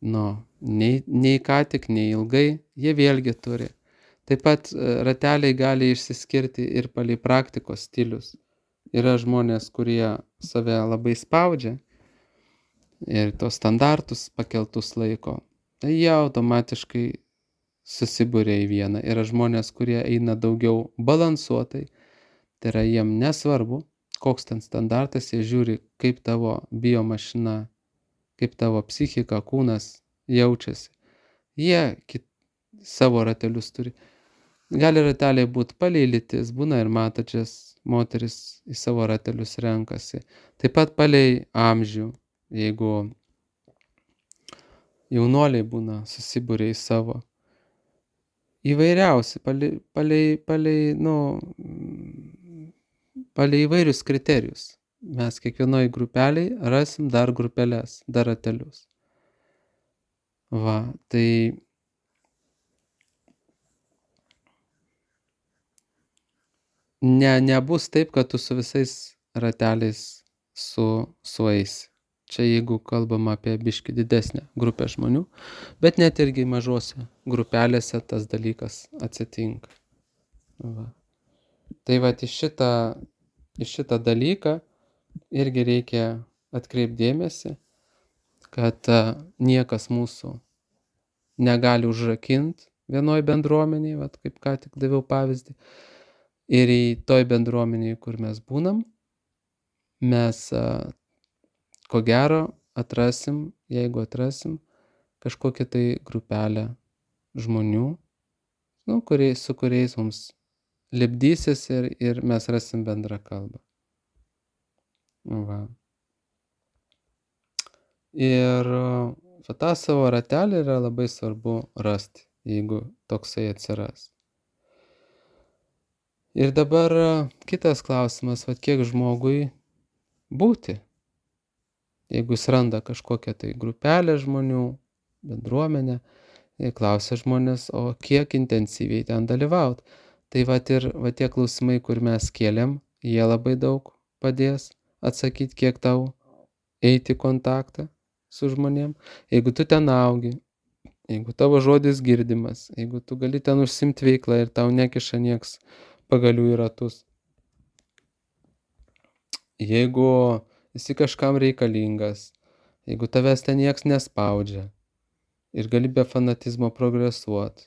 Nei ką tik, nei ilgai, jie vėlgi turi. Taip pat rateliai gali išsiskirti ir palei praktikos stilius. Yra žmonės, kurie save labai spaudžia ir tos standartus pakeltus laiko. Tai jie automatiškai susibūrė į vieną. Yra žmonės, kurie eina daugiau balansuotai. Tai yra jiem nesvarbu, koks ten standartas, jie žiūri, kaip tavo biomašina, kaip tavo psichika, kūnas jaučiasi. Jie savo ratelius turi. Gali rateliai būti palei lytis, būna ir matočias moteris į savo ratelius renkasi. Taip pat palei amžių, jeigu jaunuoliai būna susibūrė į savo. Įvairiausi, palei įvairius kriterijus. Mes kiekvienoj grupeliai rasim dar grupeles, dar ratelius. Tai nebus taip, kad tu su visais rateliais sueisi. Čia jeigu kalbam apie biškį didesnę grupę žmonių, bet net irgi mažose grupelėse tas dalykas atsitinka. Tai į šitą dalyką irgi reikia atkreipti dėmesį, kad niekas mūsų negali užrakinti vienoj bendruomenėje, kaip ką tik daviau pavyzdį. Ir į toj bendruomenėje, kur mes būnam, mes ko gero jeigu atrasim kažkokią tai grupelę žmonių, su kuriais mums lipdysis ir mes rasim bendrą kalbą. Ir tą savo ratelį yra labai svarbu rasti, jeigu toksai atsiras. Ir dabar kitas klausimas, kiek žmogui būti. Jeigu jis randa kažkokią tai grupelę žmonių, bendruomenę, klausia žmonės, o kiek intensyviai ten dalyvauti. Tai tie klausimai, kur mes kėlėm, jie labai daug padės atsakyti, kiek tau eiti į kontaktą su žmonėm. Jeigu tu ten augi, jeigu tavo žodis girdimas, jeigu tu gali ten užsimti veiklą ir tau nekiša nieks pagalių į ratus. Jeigu esi kažkam reikalingas, jeigu tavęs ten nieks nespaudžia ir gali be fanatizmo progresuoti,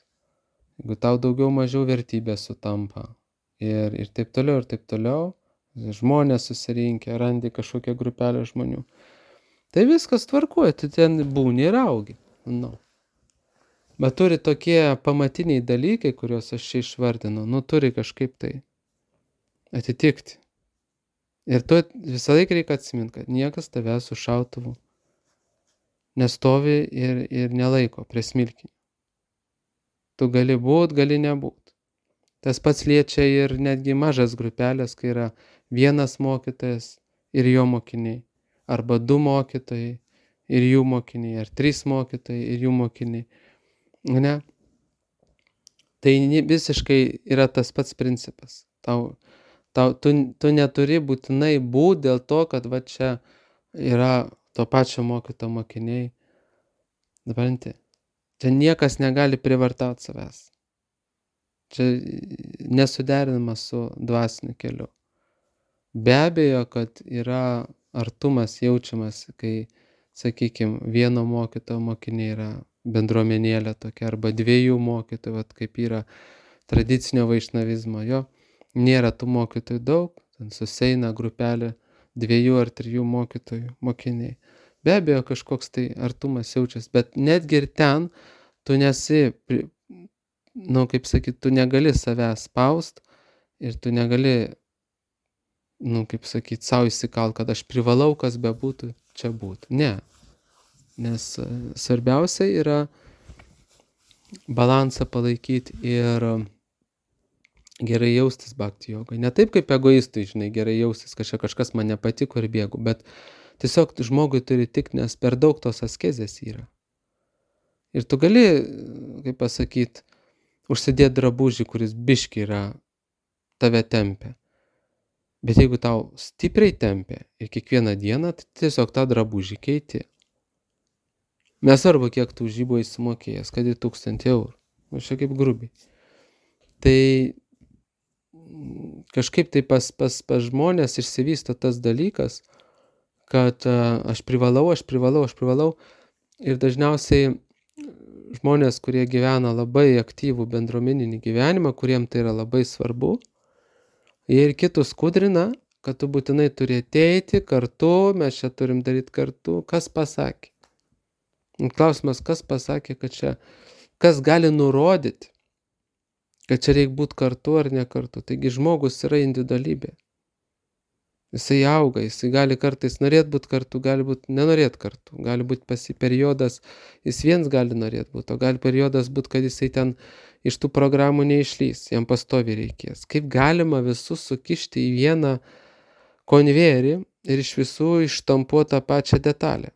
jeigu tau daugiau mažiau vertybės sutampa ir taip toliau, žmonės susirinkę, randi kažkokią grupelę žmonių, tai viskas tvarkuoja, tu ten būni ir augi. Bet turi tokie pamatiniai dalykai, kuriuos aš čia išvardinu, turi kažkaip tai atitikti. Ir tu visą laiką reikia atsiminti, kad niekas tavęs su šautuvu nestovi ir nelaiko prie smilkinio. Tu gali būt, gali nebūt. Tas pats liečia ir netgi mažas grupelės, kai yra vienas mokytojas ir jo mokiniai, arba 2 mokytojai ir jų mokiniai, ar 3 mokytojai ir jų mokiniai. Tai visiškai yra tas pats principas. Tu neturi būtinai būti dėl to, kad čia yra to pačio mokytojo mokiniai. Čia niekas negali privartauti savęs. Čia nesuderinama su dvasiniu keliu. Be abejo, kad yra artumas jaučiamas, kai, sakykime, vieno mokytojo mokiniai yra bendruomenėlė tokia, arba 2 mokytojų, kaip yra tradicinio vaišnavizmo. Nėra tų mokytojų daug, ten susieina grupelė 2 ar 3 mokytojų mokiniai. Be abejo, kažkoks tai artumas jaučiasi, bet netgi ir ten tu nesi, kaip sakyt, tu negali savęs spaust ir tu negali, kaip sakyt, savo įsikalt, kad aš privalau, kas bebūtų, čia būti. Ne. Nes svarbiausia yra balansą palaikyti ir gerai jaustis bhakti jogai. Ne taip kaip egoistui, žinai, gerai jaustis, kad čia kažkas man nepatiko ir bėgu, bet tiesiog žmogui turi tik, nes per daug tos askezės yra. Ir tu gali, kaip pasakyt, užsidėti drabužį, kuris biški yra tave tempia. Bet jeigu tau stipriai tempia ir kiekvieną dieną, tai tiesiog tą drabužį keiti. Nesvarbu, kiek tu už jį buvai sumokėjęs, kad į 1000 eurų. Aš čia kaip grubiai. Tai kažkaip tai pas žmonės išsivysto tas dalykas, kad aš privalau. Ir dažniausiai žmonės, kurie gyvena labai aktyvų bendruomeninį gyvenimą, kuriem tai yra labai svarbu, jie ir kitus kudrina, kad tu būtinai turi ateiti kartu, mes čia turim daryti kartu. Kas pasakė? Klausimas, kas pasakė, kad čia, kas gali nurodyti, kad čia reikia būti kartu ar ne kartu. Taigi žmogus yra individualybė. Jisai auga, jisai gali kartais norėti būti kartu, gali būti nenorėti kartu. Gali būti periodas, jis viens gali norėti būti, o gali periodas būti, kad jisai ten iš tų programų neišlys, jam pastoviai reikės. Kaip galima visus sukišti į vieną konvejerį ir iš visų ištampuoti tą pačią detalę?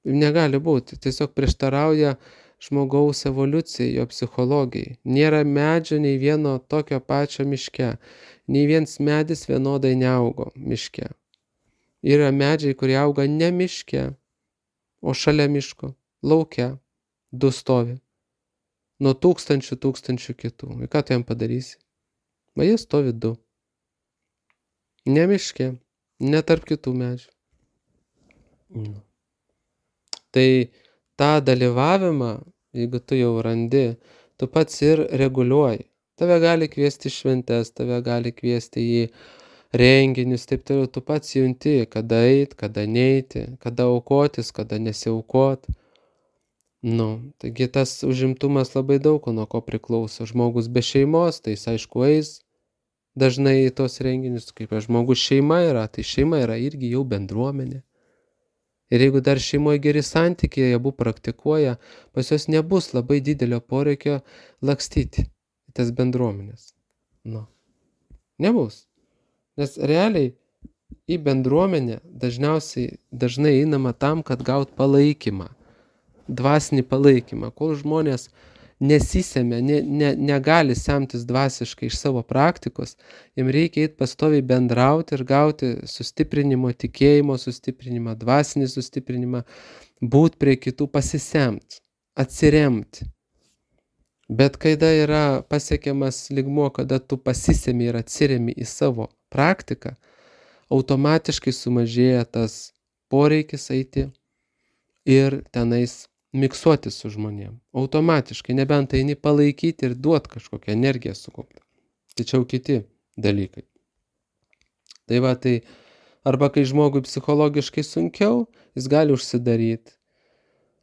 Negali būti, tiesiog prieštarauja žmogaus evoliucijai, jo psichologijai. Nėra medžio nei vieno tokio pačio miške. Nei viens medis vienodai neaugo miške. Yra medžiai, kurie auga ne miške, o šalia miško, lauke, 2 stovi. Nuo tūkstančių kitų. Ir ką tu jam padarysi? Va jie stovi 2. Ne miške, ne tarp kitų medžių. Tai tą dalyvavimą, jeigu tu jau randi, tu pats ir reguliuoji. Tave gali kviesti šventes, tave gali kviesti į renginius, taip toliau, tu pats junti, kada eit, kada neiti, kada aukotis, kada nesiaukot. Taigi tas užimtumas labai daug nuo ko priklauso. Žmogus be šeimos, tai jis aišku eis dažnai į tos renginius, kaip žmogus šeima yra, tai šeima yra irgi jau bendruomenė. Ir jeigu dar šeimoje geri santykiai, jie abu praktikuoja, pas juos nebus labai didelio poreikio lakstyti į tas bendruomenės. Nebus. Nes realiai į bendruomenę dažnai einama tam, kad gaut palaikymą, dvasinį palaikymą. Kol žmonės nesisemia, negali semtis dvasiškai iš savo praktikos, jiems reikia eiti pastoviai bendrauti ir gauti sustiprinimo, tikėjimo sustiprinimą, dvasinį sustiprinimą, būti prie kitų, pasisemti, atsiremti. Bet kada yra pasiekiamas lygmuo, kada tu pasisemi ir atsiremi į savo praktiką, automatiškai sumažėja tas poreikis eiti ir tenais miksuoti su žmonėm. Automatiškai, nebent eini palaikyti ir duoti kažkokią energiją sukauptą. Tačiau kiti dalykai. Tai va, tai arba kai žmogui psichologiškai sunkiau, jis gali užsidaryti.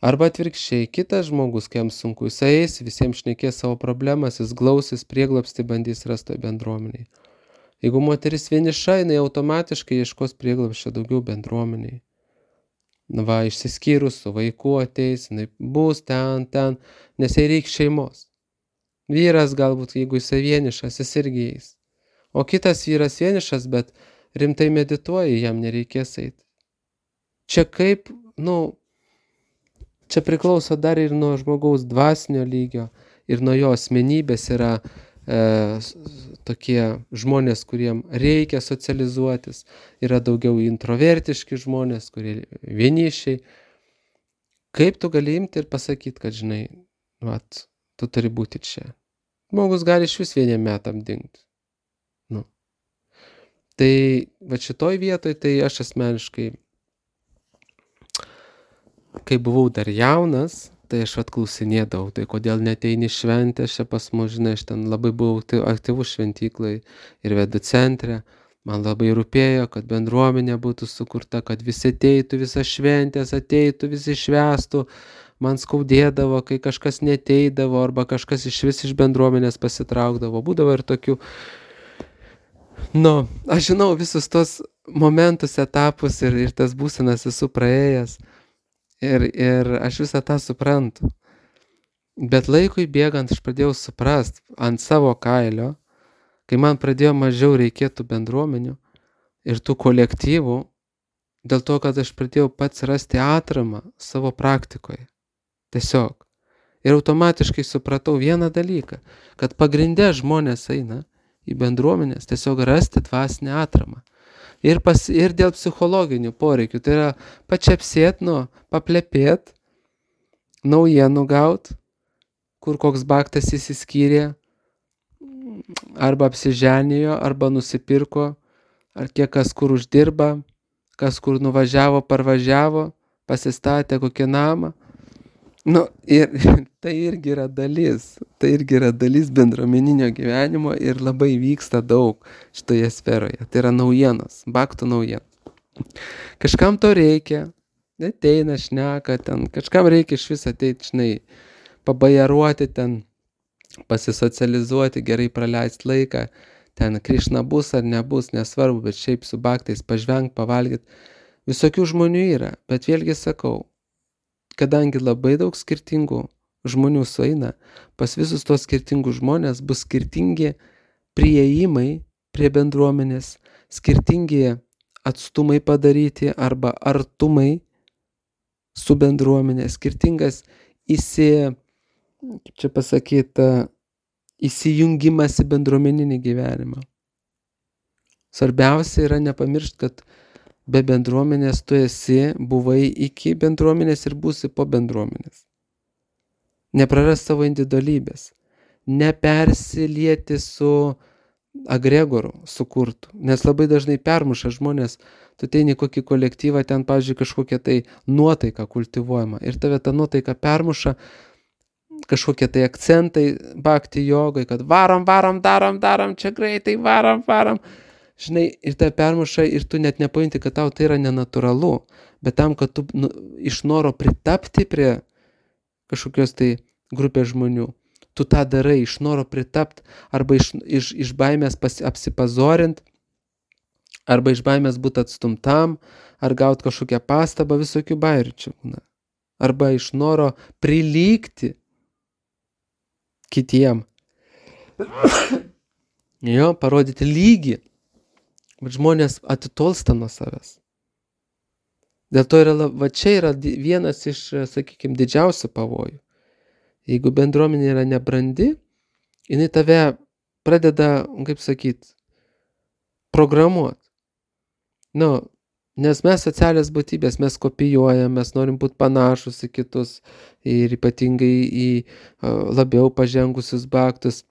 Arba atvirkščiai, kitas žmogus, kai jam sunku, jis eis, visiems šnekės savo problemas, jis glausis, prieglobstį bandys rasti bendruomeniai. Jeigu moteris vieniša, jinai automatiškai ieškos prieglobsčio daugiau bendruomeniai. Išsiskyrus su vaiku ateis, jinai bus ten, nes jai reikia šeimos. Vyras galbūt, jeigu jis vienišas, jis irgi eis. O kitas vyras vienišas, bet rimtai medituoja, jam nereikės eiti. Čia kaip, čia priklauso dar ir nuo žmogaus dvasinio lygio ir nuo jo asmenybės. Yra tokie žmonės, kuriem reikia socializuotis, yra daugiau introvertiški žmonės, kurie vienišiai. Kaip tu gali imti ir pasakyti, kad žinai, tu turi būti čia. Žmogus gali iš vis vieniem metam dingti. Tai šitoj vietoj, tai aš asmeniškai, kai buvau dar jaunas, tai aš klausinėdavau, tai kodėl neteini šventės čia pas mus, žinai, aš ten labai buvau aktyvus šventyklai ir vedų centre. Man labai rūpėjo, kad bendruomenė būtų sukurta, kad visi ateitų, visas šventės ateitų, visi švęstų. man skaudėdavo, kai kažkas neteidavo, arba kažkas išvis iš bendruomenės pasitraukdavo. Būdavo ir tokių. Aš žinau visus tos momentus, etapus ir tas būsenas esu praėjęs. Ir aš visą tą suprantu. Bet laikui bėgant aš pradėjau suprast ant savo kailio, kai man pradėjo mažiau reikėtų bendruomenių ir tų kolektyvų, dėl to, kad aš pradėjau pats rasti atramą savo praktikoje. Tiesiog. Ir automatiškai supratau vieną dalyką, kad pagrinde žmonės eina į bendruomenės tiesiog rasti dvasinę atramą. Ir dėl psichologinių poreikių. Tai yra pačiapsėt, paplepėt, naujienų gaut, kur koks baktas įsiskyrė, arba apsiženijo, arba nusipirko, ar kiek kas kur uždirba, kas kur nuvažiavo, parvažiavo, pasistatė kokį namą. Ir tai irgi yra dalis bendruomeninio gyvenimo ir labai vyksta daug šitoje sferoje. Tai yra naujienos, baktų naujienos. Kažkam to reikia, ateina, šneka ten, kažkam reikia iš vis ateiti, pabajaruoti ten, pasisocializuoti, gerai praleisti laiką, ten Krišna bus ar nebus, nesvarbu, bet šiaip su baktais pažvengt, pavalgyti. Visokių žmonių yra, bet vėlgi sakau, kadangi labai daug skirtingų žmonių sueina, pas visus tos skirtingus žmonės bus skirtingi priėjimai prie bendruomenės, skirtingi atstumai padaryti arba artumai su bendruomenė, skirtingas įsijungimas į bendruomeninį gyvenimą. Svarbiausia yra nepamiršti, kad be bendruomenės tu buvai iki bendruomenės ir būsi po bendruomenės. Nepraras savo individualybės. Nepersilieti su agregoru sukurtų. Nes labai dažnai permuša žmonės, tu ateini į kokį kolektyvą, ten, pavyzdžiui, kažkokia tai nuotaika kultivuojama. Ir tave ta nuotaika permuša, kažkokie tai akcentai bhakti jogai, kad varom, darom, čia greitai, varom. Ir tai permuša ir tu net nepajunti, kad tau tai yra nenatūralu, bet tam, kad tu iš noro pritapti prie kažkokios tai grupės žmonių, tu tą darai iš noro pritapti, arba iš baimės apsipazorint, arba iš baimės būti atstumtam, ar gauti kažkokią pastabą, visokių bairių čia būna. Arba iš noro prilygti kitiem. Parodyti lygį. Bet žmonės atitolsta nuo savęs. Dėl to čia yra vienas iš, sakykime, didžiausių pavojų. Jeigu bendruomenė yra nebrandi, jinai tave pradeda, programuoti. Nes mes socialios būtybės, mes kopijuojam, mes norim būti panašus į kitus ir ypatingai į labiau pažengusius bhaktus.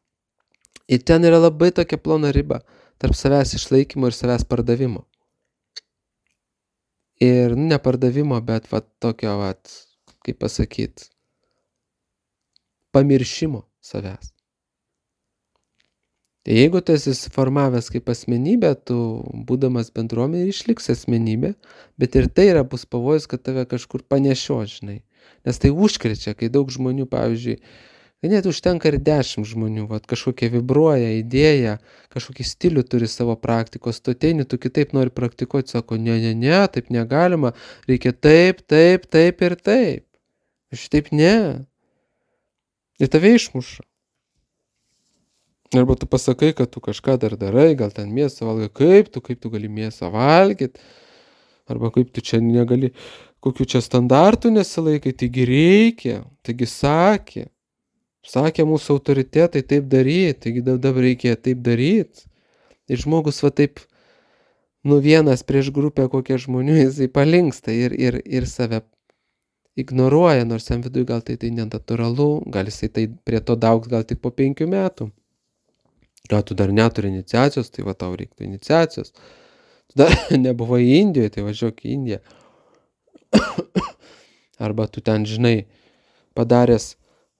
Ir ten yra labai tokia plona riba tarp savęs išlaikymo ir savęs pardavimo. Ir ne pardavimo, bet tokio, pamiršimo savęs. Tai jeigu tu esi suformavęs kaip asmenybė, tu būdamas bendruomenė išliks asmenybė, bet ir tai bus pavojus, kad tave kažkur panešio, žinai. Nes tai užkrečia, kai daug žmonių, pavyzdžiui, net užtenka ir 10 žmonių, kažkokia vibruoja idėja, kažkokį stilių turi savo praktikos, tu ateini, tu kitaip nori praktikuoti, sako, ne, taip negalima, reikia taip ir taip. Šitaip ne. Ir tave išmuša. Arba tu pasakai, kad tu kažką dar darai, gal ten mėsą valgai, kaip tu gali mėsą valgyti, arba kaip tu čia negali, kokių čia standartų nesilaikai, taigi reikia, taigi sakė mūsų autoritetai taip daryti, taigi dabar reikia taip daryti. Ir žmogus taip, vienas prieš grupę kokie žmonių, jisai palinksta ir save ignoruoja, nors jam viduje gal tai nenatūralu, gal jisai tai prie to daugs gal tik po 5 metų. Gal tu dar neturi iniciacijos, tai tau reiktų iniciacijos. Tu dar nebuvai Indijoje, tai važiuok į Indiją. Arba tu ten, žinai, padaręs,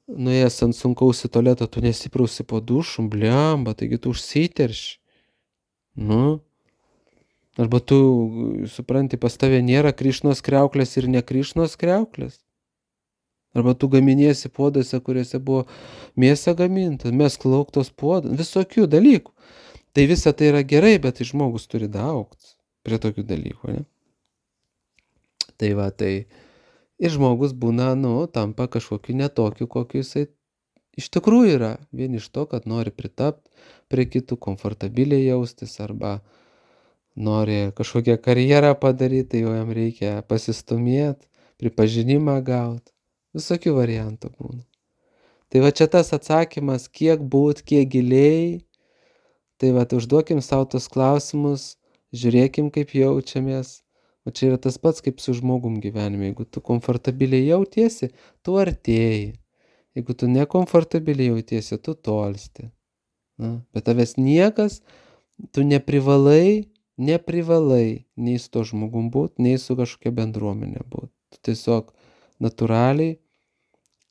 nuėjęs ant sunkaus į tualetą, tu nesiprausi po dušų, bliamba, taigi tu užsiterši. Arba tu, supranti, pas tave nėra Krišnos kriauklės ir ne Krišnos kriauklės. Arba tu gaminiesi puoduose, kuriuose buvo mėsa gaminta, mesk lauk tos puodus, visokių dalykų. Tai visa tai yra gerai, bet tai žmogus turi augti prie tokių dalykų, ne? Tai va, tai ir žmogus būna, tampa kažkokiu netokiu, kokiu jisai iš tikrųjų yra. Vien iš to, kad nori pritapti prie kitų, komfortabiliai jaustis, arba nori kažkokią karjerą padaryti, tai jau jam reikia pasistumėti, pripažinimą gauti. Visokių variantų būna. Tai va čia tas atsakymas, kiek būt, kiek giliai. Tai va, užduokim savo tos klausimus, žiūrėkim, kaip jaučiamės. O čia yra tas pats, kaip su žmogum gyvenime. Jeigu tu komfortabiliai jautiesi, tu artėji. Jeigu tu nekomfortabiliai jautiesi, tu tolsti. Bet tavęs niekas, tu neprivalai nei su to žmogum būt, nei su kažkokia bendruomenė būt. Tu tiesiog natūraliai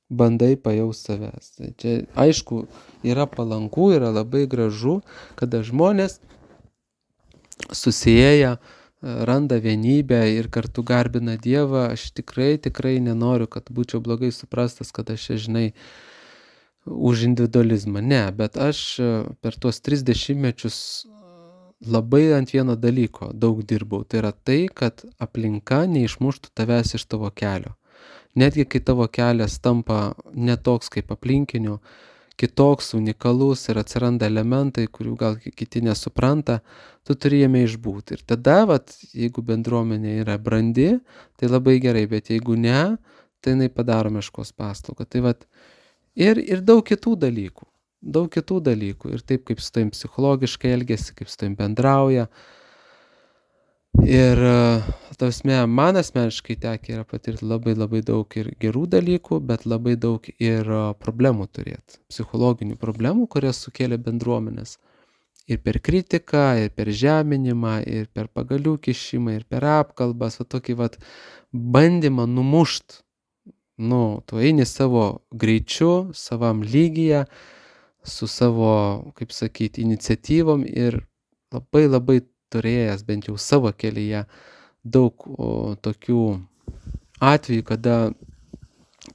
bandai pajaust savęs. Tai čia, aišku, yra palanku, yra labai gražu, kada žmonės susieja, randa vienybę ir kartu garbina Dievą. Aš tikrai nenoriu, kad būčiau blogai suprastas, kad aš čia, žinai, už individualizmą. Ne, bet aš per tuos 30 mečius labai ant vieno dalyko daug dirbau. Tai yra tai, kad aplinka neišmuštų tavęs iš tavo kelio. Netgi kai tavo kelias tampa netoks kaip aplinkinių, kitoks, unikalus ir atsiranda elementai, kurių gal kiti nesupranta, tu turi jame išbūti. Ir tada, jeigu bendruomenė yra brandi, tai labai gerai, bet jeigu ne, tai jinai padaro meškos paslaugą. Tai ir daug kitų dalykų. Ir taip, kaip su tavim psichologiškai elgiasi, kaip su tavim bendrauja. Ir man asmeniškai tekę yra patirti labai daug ir gerų dalykų, bet labai daug ir problemų turėti. Psichologinių problemų, kurias sukėlė bendruomenės. Ir per kritiką, ir per žeminimą, ir per pagalių kišimą, ir per apkalbas, tokį bandymą numušt. Tu eini savo greičiu, savam lygyje, su savo, kaip sakyti, iniciatyvom ir labai turėjęs bent jau savo kelyje daug tokių atvejų, kada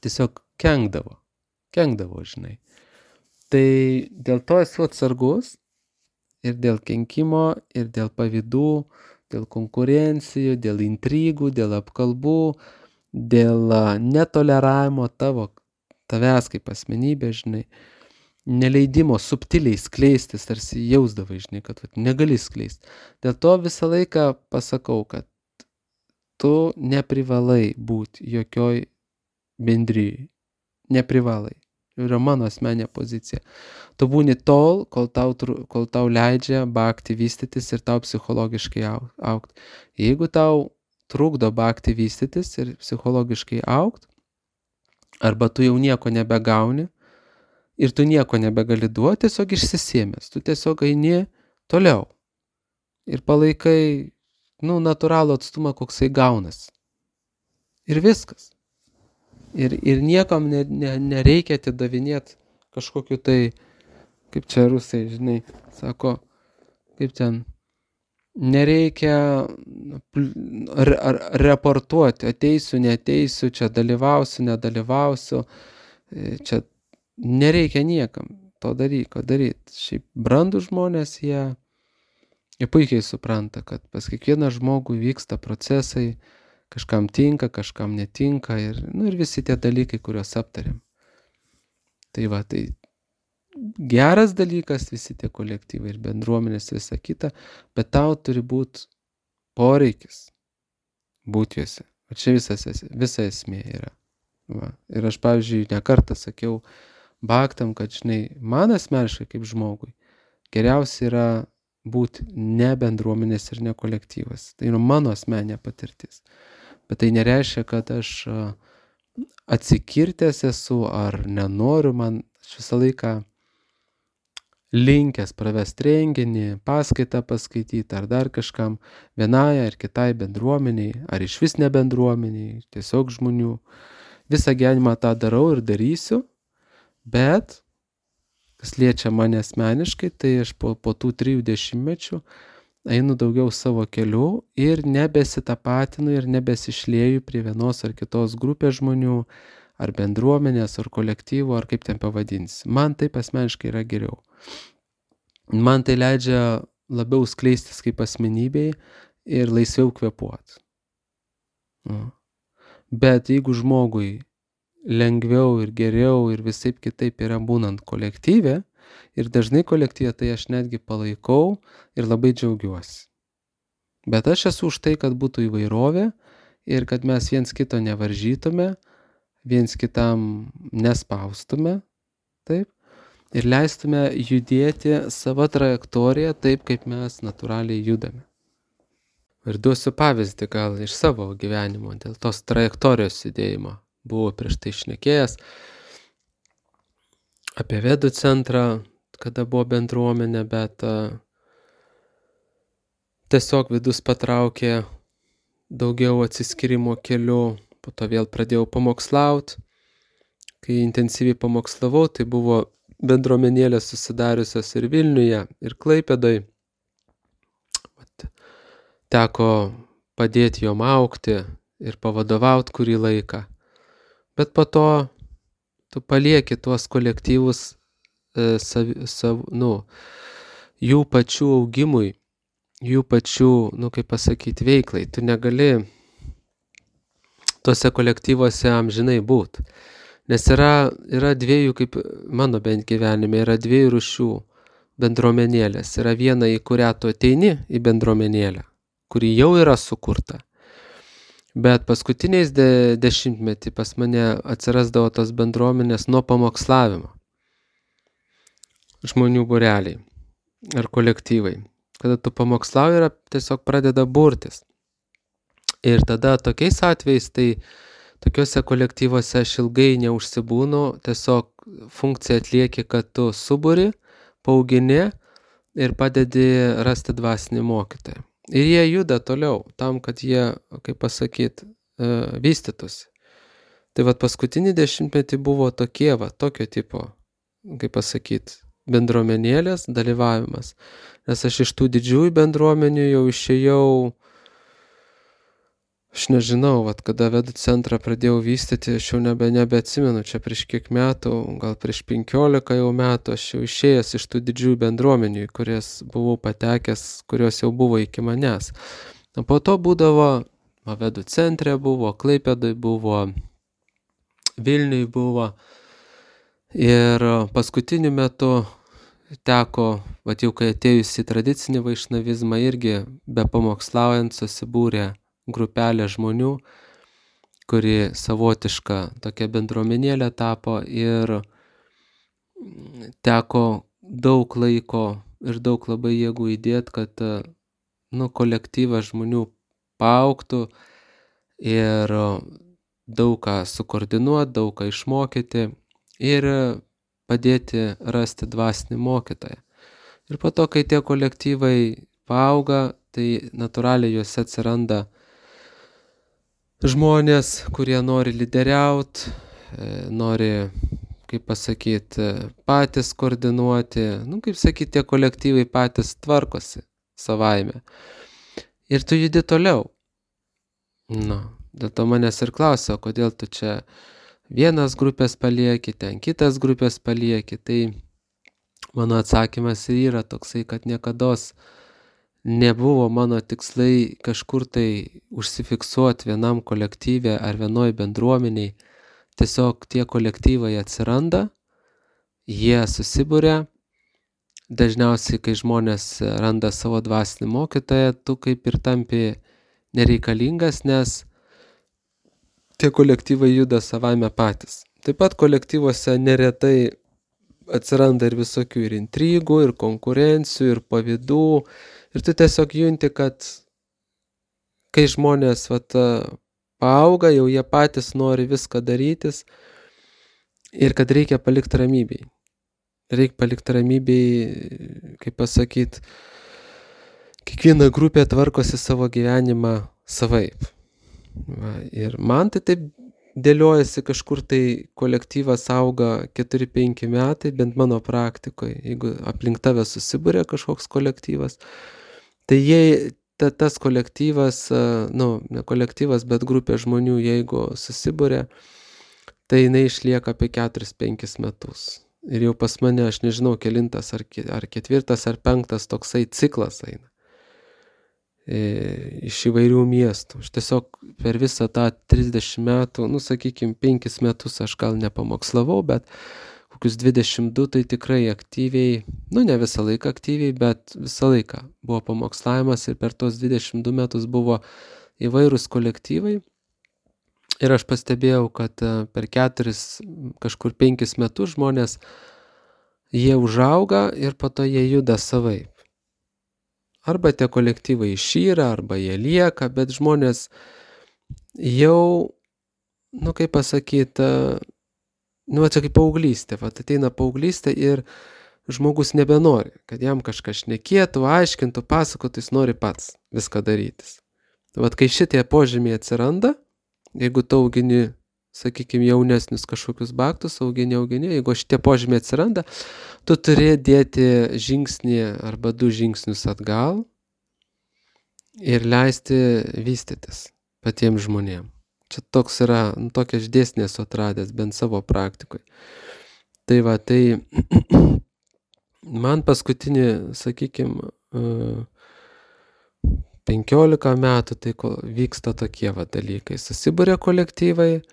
tiesiog kenkdavo, žinai. Tai dėl to esu atsargus ir dėl kenkimo, ir dėl pavydų, dėl konkurencijų, dėl intrigų, dėl apkalbų, dėl netoleravimo tavęs kaip asmenybė, žinai. Neleidimo subtiliai skleistis, tarsi jausdavai, žinai, kad negali skleisti. Dėl to visą laiką pasakau, kad tu neprivalai būti jokioj bendrijai. Neprivalai. Yra mano asmeninė pozicija. Tu būni tol, kol tau leidžia bhakti vystytis ir tau psichologiškai augti. Jeigu tau trukdo bhakti vystytis ir psichologiškai augti, arba tu jau nieko nebegauni, ir tu nieko nebegali duoti, tiesiog išsisėmęs. Tu tiesiog eini toliau. Ir palaikai, natūralų atstumą, koksai gaunas. Ir viskas. Ir niekam nereikia atidavinėti kažkokiu tai, kaip čia rusai, žinai, sako, kaip ten, nereikia reportuoti, ateisiu, neateisiu, čia dalyvausiu, nedalyvausiu, čia nereikia niekam to daryti. Šiaip brandų žmonės, jie puikiai supranta, kad pas kiekvieną žmogų vyksta procesai, kažkam tinka, kažkam netinka ir visi tie dalykai, kuriuos aptarėm. Tai geras dalykas, visi tie kolektyvai ir bendruomenės, visa kita, bet tau turi būti poreikis būti juose. O čia visa esmė yra. Ir aš, pavyzdžiui, ne kartą sakiau bhaktam, kad, žinai, man asmeniškai kaip žmogui geriausia yra būti ne bendruomenės ir ne kolektyvas. Tai yra mano asmeninė patirtis. Bet tai nereiškia, kad aš atsikirtęs esu ar nenoriu, aš visą laiką linkęs pravesti renginį, paskaitą paskaityti ar dar kažkam, vienai ar kitai bendruomeniai, ar išvis ne bendruomeniai, tiesiog žmonių. Visą gyvenimą tą darau ir darysiu, bet kas liečia mane asmeniškai, tai aš po tų 30 mečių einu daugiau savo keliu ir nebesitapatinu ir nebesišlieju prie vienos ar kitos grupės žmonių ar bendruomenės, ar kolektyvo, ar kaip ten pavadinsi. Man taip asmeniškai yra geriau. Man tai leidžia labiau skleistis kaip asmenybei ir laisviau kvėpuoti. Bet jeigu žmogui lengviau ir geriau ir visaip kitaip yra būnant kolektyve, ir dažnai kolektyve, tai aš netgi palaikau ir labai džiaugiuosi. Bet aš esu už tai, kad būtų įvairovė ir kad mes viens kito nevaržytume, viens kitam nespaustume, taip, ir leistume judėti savo trajektoriją taip, kaip mes natūraliai judame. Ir duosiu pavyzdį gal iš savo gyvenimo, dėl tos trajektorijos judėjimo. Buvau prieš tai šnekėjęs apie Vedų centrą, kada buvo bendruomenė, bet tiesiog vidus patraukė daugiau atsiskyrimo keliu, po to vėl pradėjau pamokslaut. Kai intensyviai pamokslavau, tai buvo bendruomenėlės susidariusios ir Vilniuje, ir Klaipėdoj. Teko padėti jom augti ir pavadovauti kurį laiką. Bet po to tu palieki tuos kolektyvus jų pačių augimui, jų pačių, kaip pasakyti, veiklai. Tu negali tuose kolektyvuose amžinai būti. Nes yra dviejų, kaip mano bent gyvenime, yra dviejų rūšių bendruomenėlės. Yra viena, į kurią tu ateini į bendruomenėlę, kuri jau yra sukurta. Bet paskutiniais dešimtmetį pas mane atsirasdavo tos bendruomenės nuo pamokslavimo. Žmonių būreliai ar kolektyvai. Kada tu pamokslauji, tiesiog pradeda burtis. Ir tada tokiais atvejais, tai tokiuose kolektyvuose aš ilgai neužsibūnu, tiesiog funkciją atlieki, kad tu suburi, paaugini ir padedi rasti dvasinį mokytoją. Ir jie juda toliau, tam, kad jie, kaip pasakyt, vystytųsi. Tai paskutinį dešimtmetį buvo tokio tipo, kaip pasakyt, bendruomenėlės dalyvavimas. Nes aš iš tų didžiųjų bendruomenių jau išėjau, aš nežinau, kada Vedų centrą pradėjau vystyti, aš jau nebeatsimenu, čia prieš kiek metų, gal prieš 15 jau metų, aš jau išėjęs iš tų didžiųjų bendruomenių, į kurias buvau patekęs, kurios jau buvo iki manęs. O po to būdavo, Vedų centre buvo, Klaipėdoj buvo, Vilniuj buvo. Ir paskutiniu metu teko, jau kai atėjus į tradicinį vaišnavizmą, irgi be pamokslaujant susibūrė grupelė žmonių, kuri savotiška tokia bendruomenėlė tapo ir teko daug laiko ir daug labai jėgų įdėti, kad kolektyvas žmonių paaugtų ir daug ką sukoordinuoti, daug ką išmokyti ir padėti rasti dvasinį mokytoją. Ir po to, kai tie kolektyvai paauga, tai natūraliai juose atsiranda žmonės, kurie nori lyderiauti, nori, kaip pasakyti, patys koordinuoti, kaip sakyti, tie kolektyvai patys tvarkosi savaime. Ir tu judi toliau. Dėl to manęs ir klausia, kodėl tu čia vienas grupės palieki, ten kitas grupės palieki. Tai mano atsakymas yra toksai, kad niekados nebuvo mano tikslai kažkur tai užsifiksuoti vienam kolektyve ar vienoj bendruomeniai. Tiesiog tie kolektyvai atsiranda, jie susibūria. Dažniausiai, kai žmonės randa savo dvasinį mokytoją, tu kaip ir tampi nereikalingas, nes tie kolektyvai juda savaime patys. Taip pat kolektyvuose neretai atsiranda ir visokių ir intrigų, ir konkurencijų, ir pavydų. Ir tu tiesiog junti, kad kai žmonės paauga, jau jie patys nori viską darytis ir kad reikia palikti ramybėj. Reikia palikti ramybėj, kaip pasakyti, kiekviena grupė tvarkosi savo gyvenimą savaip. Ir man tai taip dėliojasi, kažkur tai kolektyvas auga 4-5 metai, bent mano praktikoje, jeigu aplink tave susibūrė kažkoks kolektyvas, tai tas kolektyvas, ne kolektyvas, bet grupė žmonių, jeigu susibūrė, tai jinai išlieka apie 4-5 metus. Ir jau pas mane, aš nežinau, kelintas ar 4 ar 5 toksai ciklas eina iš įvairių miestų. Aš tiesiog per visą tą 30 metų, sakykime, 5 metus aš gal nepamokslavau, bet kokius 22 tai tikrai aktyviai, ne visą laiką aktyviai, bet visą laiką buvo pamokslavimas ir per tos 22 metus buvo įvairūs kolektyvai. Ir aš pastebėjau, kad per 4, kažkur 5 metus žmonės, jie užauga ir po to jie juda savaip. Arba tie kolektyvai išyra, arba jie lieka, bet žmonės jau, kaip pasakyti, čia kaip paauglystė, ateina paauglystė ir žmogus nebenori, kad jam kažkas šnekėtų, aiškintų, pasakotų, jis nori pats viską darytis. Kai šitie požymiai atsiranda, jeigu tu augini, sakykime, jaunesnius kažkokius baktus, augini, jeigu šitie požymiai atsiranda, tu turi dėti žingsnį arba 2 žingsnius atgal ir leisti vystytis patiems žmonėms. Čia toks yra, tokia aš dėsnį esu atradęs, bent savo praktikoje. Tai man paskutinį, sakykime, 15 metų tai vyksta tokie dalykai. Susibūrė kolektyvai,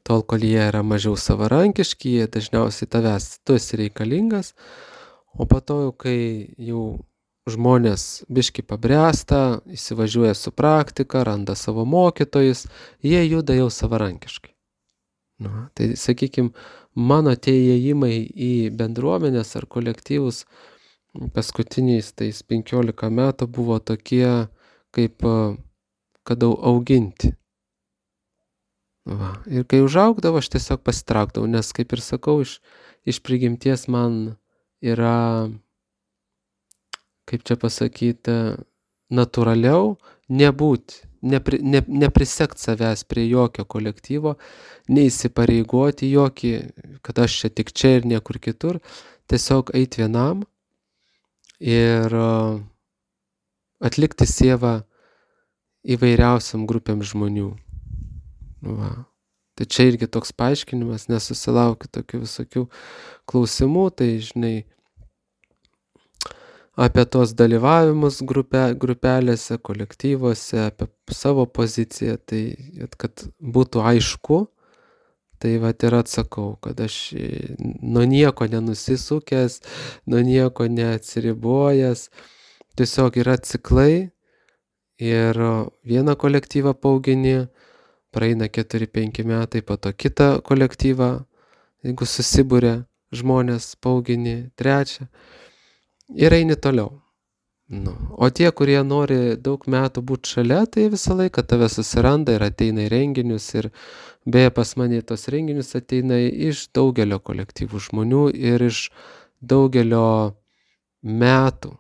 tol, kol jie yra mažiau savarankiški, jie dažniausiai tu esi reikalingas, o po to, kai jau žmonės biškį pabręsta, įsivažiuoja su praktika, randa savo mokytojus, jie juda jau savarankiškai. Tai, sakykime, mano tie įėjimai į bendruomenės ar kolektyvus paskutiniais tais 15 metų buvo tokie, kaip kad auginti. Ir kai užaugdavo, aš tiesiog pasitraukdavau, nes, kaip ir sakau, iš prigimties man yra, kaip čia pasakyti, natūraliau nebūti, neprisekt savęs prie jokio kolektyvo, neįsipareigoti jokį, kad aš čia tik čia ir niekur kitur, tiesiog eiti vienam ir atlikti sievą įvairiausiam grupėm žmonių. Tai čia irgi toks paaiškinimas, nes susilaukiu tokių visokių klausimų, tai žinai, apie tos dalyvavimus grupelėse, kolektyvuose, apie savo poziciją, tai kad būtų aišku, tai ir atsakau, kad aš nuo nieko nenusisukęs, nuo nieko neatsiribojęs, tiesiog yra ciklai ir vieną kolektyvą paaugini, praeina 4-5 metai, po to kitą kolektyvą, jeigu susibūrė žmonės, paaugini 3 ir eini toliau. O tie, kurie nori daug metų būti šalia, tai visą laiką tave susiranda ir ateina į renginius ir beje pas mane tos renginius ateina iš daugelio kolektyvų žmonių ir iš daugelio metų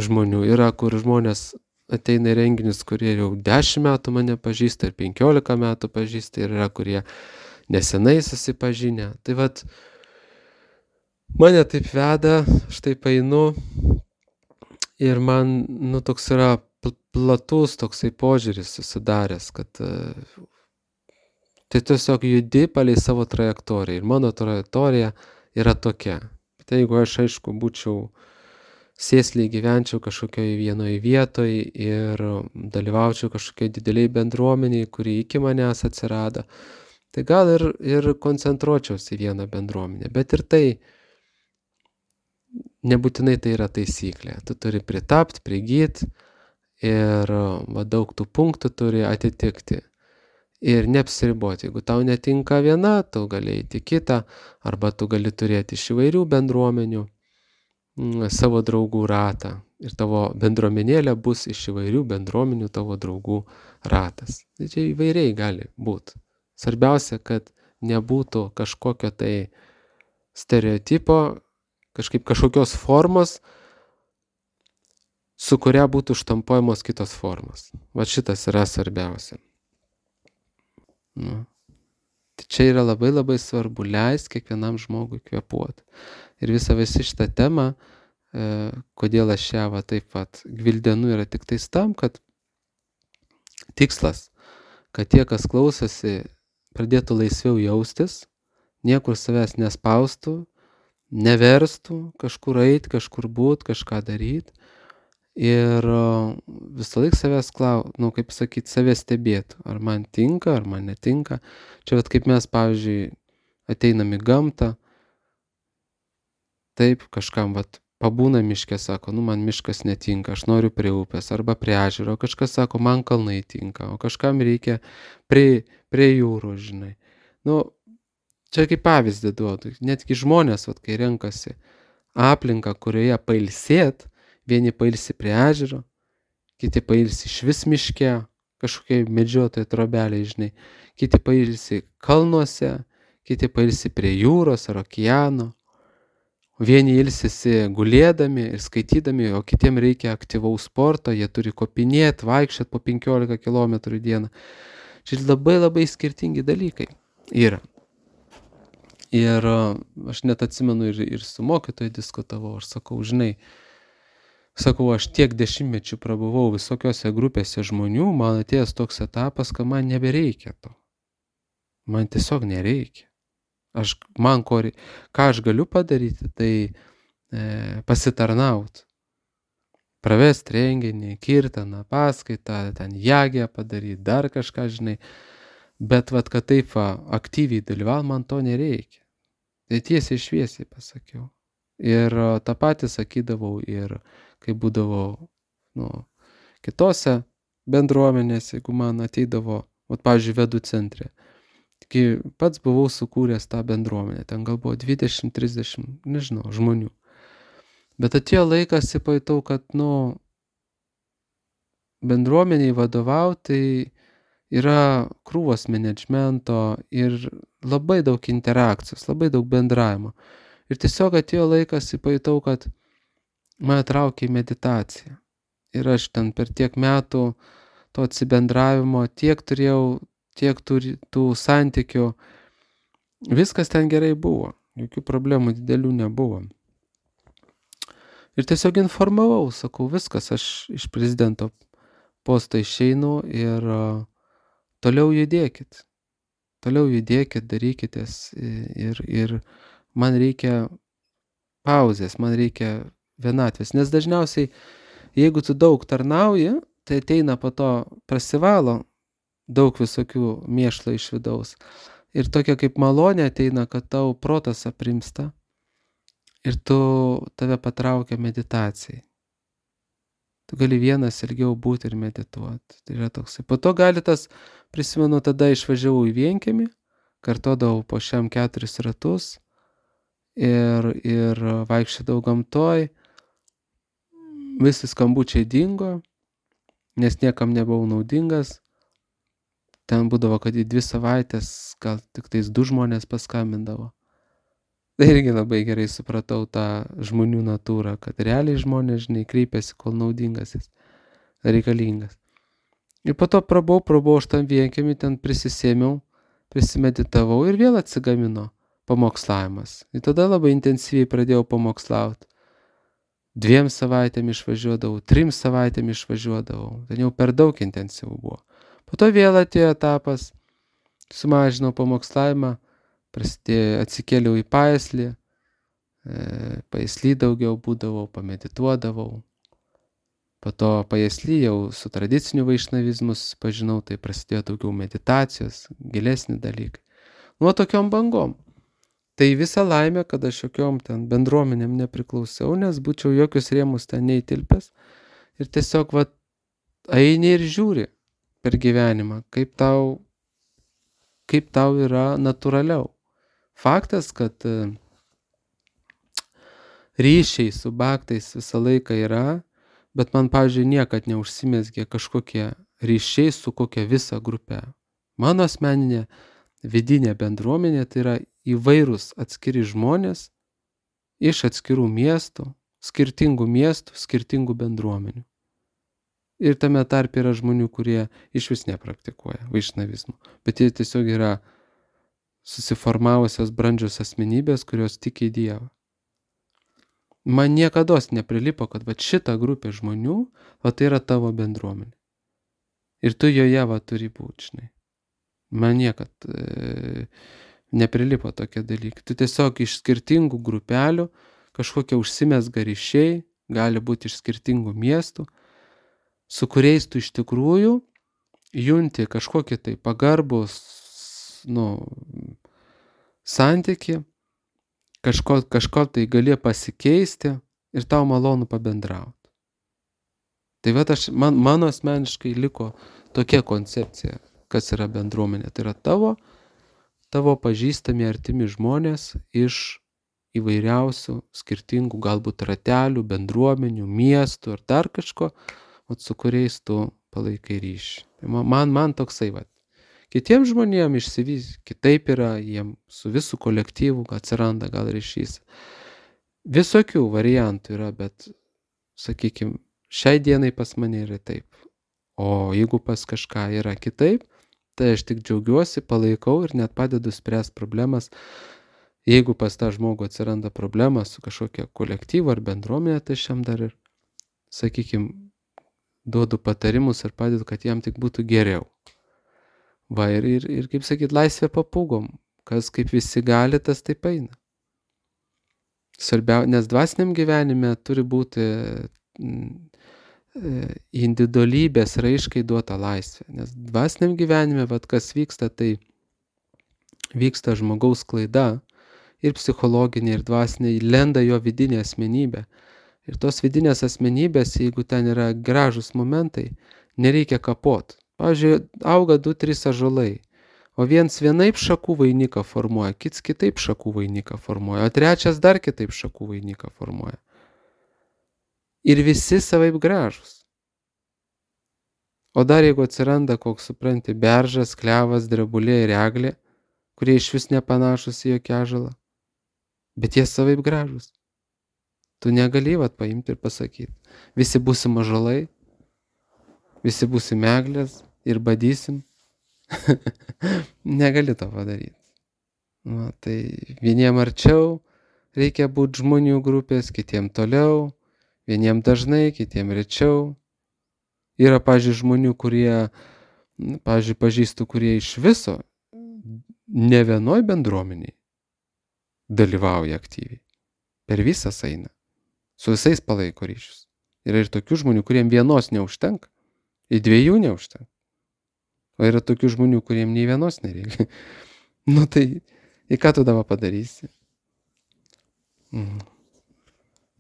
žmonių. Yra, kur žmonės ateina į renginius, kurie jau 10 metų mane pažįsta ir 15 metų pažįsta ir yra, kurie nesenai susipažinę. Tai mane taip veda, aš taip einu ir man, toks yra platus toksai požiūris susidaręs, kad tai tiesiog judi palei savo trajektoriją ir mano trajektorija yra tokia. Tai jeigu aš, aišku, būčiau sėsliai gyvenčiau kažkokioje vienoje vietoje ir dalyvaučiau kažkokioje dideliai bendruomeniai, kuri iki manęs atsirado, tai gal ir koncentruočiausi į vieną bendruomenę, bet ir tai nebūtinai tai yra taisyklė. Tu turi pritapti, prigyti ir daug tų punktų turi atitikti ir neapsiriboti. Jeigu tau netinka viena, tu gali eiti kitą, arba tu gali turėti iš įvairių bendruomenių savo draugų ratą ir tavo bendruomenėlė bus iš įvairių bendruomenių tavo draugų ratas. Tai čia įvairiai gali būti. Svarbiausia, kad nebūtų kažkokio tai stereotipo, kažkokios formos, su kuria būtų štampuojamos kitos formos. Šitas yra svarbiausia. Tai čia yra labai labai svarbu leisti kiekvienam žmogui kvėpuoti. Ir visi šitą temą, kodėl aš ją taip pat gvildenu, yra tik tais tam, kad tikslas, kad tie, kas klausosi, pradėtų laisviau jaustis, niekur savęs nespaustų, neverstų kažkur eit, kažkur būt, kažką daryt. Ir visą laiką savęs kaip sakyt, savęs stebėtų, ar man tinka, ar man netinka. Čia vat kaip mes, pavyzdžiui, ateinam į gamtą, taip, kažkam vat pabūna miške, sako, man miškas netinka, aš noriu prie upės arba prie ežero, kažkas sako, man kalnai tinka, o kažkam reikia prie jūros, žinai. Čia kaip pavyzdį duodu, netgi žmonės, vat, kai renkasi aplinką, kurioje pailsėt, vieni pailsi prie ežero, kiti pailsi išvis miške, kažkokiai medžiotojai trobeliai, žinai, kiti pailsi kalnuose, kiti pailsi prie jūros ar okeano, vieni ilsisi gulėdami ir skaitydami, o kitiem reikia aktyvaus sporto, jie turi kopinėt, vaikščiot po 15 km į dieną. Čia labai labai skirtingi dalykai yra. Ir aš net atsimenu ir su mokytoju diskutavau, aš sakau, žinai, aš tiek dešimtmečių prabuvau visokiose grupėse žmonių, man atėjęs toks etapas, kad man nebereikia to. Man tiesiog nereikia. Ką aš galiu padaryti, tai pasitarnaut. Pravest renginį, kirtaną, paskaitą, ten jagę padaryti, dar kažką, žinai. Bet vat, kad taip aktyviai dalyvaut, man to nereikia. Tai tiesiai šviesiai pasakiau. Ir tą patį sakydavau ir kai būdavau kitose bendruomenėse, jeigu man ateidavo, pavyzdžiui, Vedų centre. Tik pats buvau sukūręs tą bendruomenę, ten gal buvo 20-30, nežinau, žmonių. Bet atėjo laikas, pajutau, kad, bendruomeniai vadovauti, tai yra krūvos menedžmento ir labai daug interakcijos, labai daug bendravimo. Ir tiesiog atėjo laikas, pajutau, kad mane traukia į meditaciją. Ir aš ten per tiek metų to atsibendravimo tiek turėjau, tiek tų santykių. Viskas ten gerai buvo, jokių problemų didelių nebuvo. Ir tiesiog informavau, sakau, viskas, aš iš prezidento posto išeinu ir toliau judėkit, darykitės ir man reikia pauzės, man reikia vienatvės, nes dažniausiai, jeigu tu daug tarnauji, tai ateina po to prasivalo daug visokių mėšlo iš vidaus ir tokia kaip malonė ateina, kad tau protas aprimsta ir tave patraukia meditacijai. Tu gali vienas ilgiau būti ir medituoti. Tai yra toksai. Po to gali prisimenu, tada išvažiavau į vienkiemį, kartodavau po 4 ratus ir vaikščiodavau gamtoj. Visi skambučiai dingo, nes niekam nebuvau naudingas. Ten būdavo, kad į 2 savaitės gal tik tais 2 žmonės paskambindavo. Tai irgi labai gerai supratau tą žmonių natūrą, kad realiai žmonės, žinai, kreipiasi, kol naudingas jis, reikalingas. Ir po to prabuvau aš tam vienkiemį, ten prisisėmiau, prisimeditavau ir vėl atsigamino pamokslavimas. Ir tada labai intensyviai pradėjau pamokslauti. 2 savaitėm išvažiuodavau, 3 savaitėm išvažiuodavau. Ten jau per daug intensyvų buvo. Po to vėl atėjo etapas, sumažinau pamokslavimą, atsikėliau į Paeslį, Paeslį daugiau būdavau, pamedituodavau. Po to Paeslį jau su tradiciniu vaišnavizmu susipažinau, tai prasidėjo daugiau meditacijos, gilesni dalykai. Tokiom bangom. Tai visa laimė, kad aš jokiom ten bendruomenėm nepriklausiau, nes būčiau jokius rėmus ten neįtilpęs. Ir tiesiog eini ir žiūri per gyvenimą, kaip tau yra natūraliau. Faktas, kad ryšiai su baktais visą laiką yra, bet man, pavyzdžiui, niekad neužsimezgė kažkokie ryšiai su kokia visa grupė. Mano asmeninė vidinė bendruomenė tai yra įvairūs atskiri žmonės iš atskirų miestų, skirtingų bendruomenių. Ir tame tarpe yra žmonių, kurie iš vis nepraktikuoja vaišnavizmo, bet jie tiesiog yra susiformavusios brandžios asmenybės, kurios tiki į Dievą. Man niekados neprilipo, kad šita grupė žmonių, tai yra tavo bendruomenė. Ir tu joje turi būti, žinai. Man niekad neprilipo tokie dalykai. Tu tiesiog iš skirtingų grupelių kažkokie užsimezga ryšiai, gali būti iš skirtingų miestų, su kuriais tu iš tikrųjų junti kažkokį tai pagarbus, santyki, kažko tai gali pasikeisti ir tau malonu pabendrauti. Tai vat mano asmeniškai liko tokia koncepcija, kas yra bendruomenė. Tai yra tavo pažįstami artimi žmonės iš įvairiausių skirtingų galbūt ratelių, bendruomenių, miestų ar dar kažko, su kuriais tu palaikai ryšį. Tai man toksai vat. Kitiems žmonėms išsivys kitaip yra, jiem su visų kolektyvu atsiranda gal ryšys. Visokių variantų yra, bet, sakykime, šiai dienai pas mane yra taip. O jeigu pas kažką yra kitaip, tai aš tik džiaugiuosi, palaikau ir net padedu spręsti problemas. Jeigu pas tą žmogų atsiranda problema su kažkokia kolektyvu ar bendruomenė, tai aš jam dar ir, sakykime, duodu patarimus ir padedu, kad jam tik būtų geriau. Va, ir kaip sakyt, laisvė papūgom. Kas kaip visi gali, tas taip eina. Nes dvasiniam gyvenime turi būti individualybės raiškai duota laisvė. Nes dvasiniam gyvenime, kas vyksta, tai vyksta žmogaus klaida ir psichologinė, ir dvasinė, lenda jo vidinė asmenybė. Ir tos vidinės asmenybės, jeigu ten yra gražus momentai, nereikia kapot. Pavyzdžiui, auga 2-3 ąžuolai, o viens vienaip šakų vainiką formuoja, kits kitaip šakų vainiką formuoja, o trečias dar kitaip šakų vainiką formuoja. Ir visi savaip gražus. O dar jeigu atsiranda, koks supranti, beržas, klevas, drebulė ir eglė, kurie iš vis nepanašus į jokį ąžuolą, bet jie savaip gražus. Tu negali paimti ir pasakyti, visi būsim ąžuolai, visi būsim eglės ir badysim. Negali to padaryti. Tai vieniem arčiau reikia būti žmonių grupės, kitiem toliau, vieniem dažnai, kitiem rečiau. Yra, pavyzdžiui, žmonių, kurie, pažįstu, kurie iš viso ne vienoj bendruomeniai dalyvauja aktyviai. Per visas eina. Su visais palaiko ryšius. Yra ir tokių žmonių, kuriem vienos neužtenka. Ir 2 neužtenka. O yra tokių žmonių, kuriem nei vienos nereikia. Tai į ką tu dabar padarysi?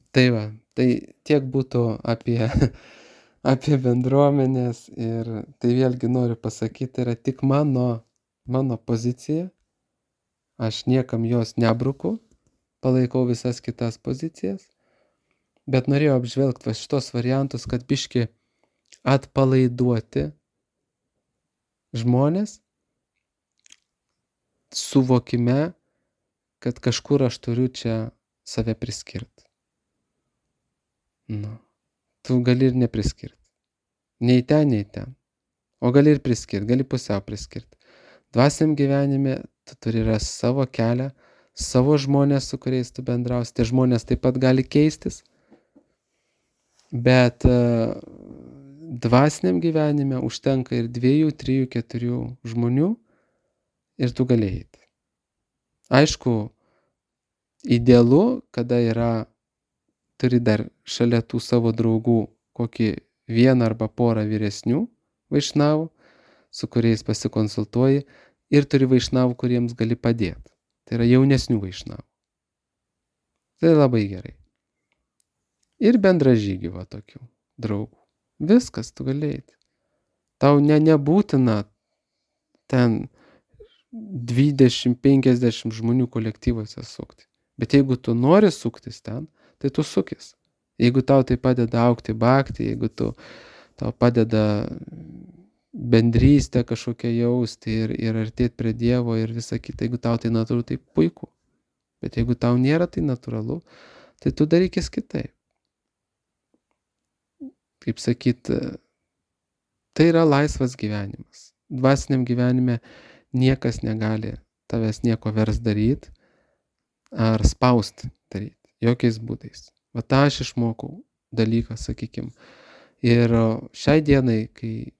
Tai va, tai tiek būtų apie bendruomenės ir tai vėlgi noriu pasakyti, yra tik mano pozicija. Aš niekam jos nebruku, palaikau visas kitas pozicijas, bet norėjau apžvelgti šitos variantus, kad biški atpalaiduoti žmonės suvokime, kad kažkur aš turiu čia save priskirti. Tu gali ir nepriskirti. Nei ten. O gali ir priskirti, gali pusiau priskirti. Dvasiniam gyvenime tu turi rasti savo kelią, savo žmonės, su kuriais tu bendrausi. Tie žmonės taip pat gali keistis. Bet dvasiniam gyvenime užtenka ir 2, 3, 4 žmonių ir tu gali eiti. Aišku, idealu, kada turi dar šalia tų savo draugų kokį 1 arba porą vyresnių vaišnavų, su kuriais pasikonsultuoji, ir turi vaišnavų, kuriems gali padėti. Tai yra jaunesnių vaišnavų. Tai labai gerai. Ir bendražygių tokių draugų. Viskas, tu gali eiti. Tau nebūtina ten 20-50 žmonių kolektyvuose sukti. Bet jeigu tu nori suktis ten, tai tu sukis. Jeigu tau tai padeda augti bhakti, jeigu tau padeda bendrystę kažkokią jausti ir artėti prie Dievo ir visa kita, jeigu tau tai natūralu, tai puiku. Bet jeigu tau nėra tai natūralu, tai tu darykis kitaip. Kaip sakyt, tai yra laisvas gyvenimas. Dvasiniam gyvenime niekas negali tavęs nieko vers daryti ar spausti daryti. Jokiais būdais. Va tą aš išmokau dalyką, sakykim. Ir šiai dienai, kai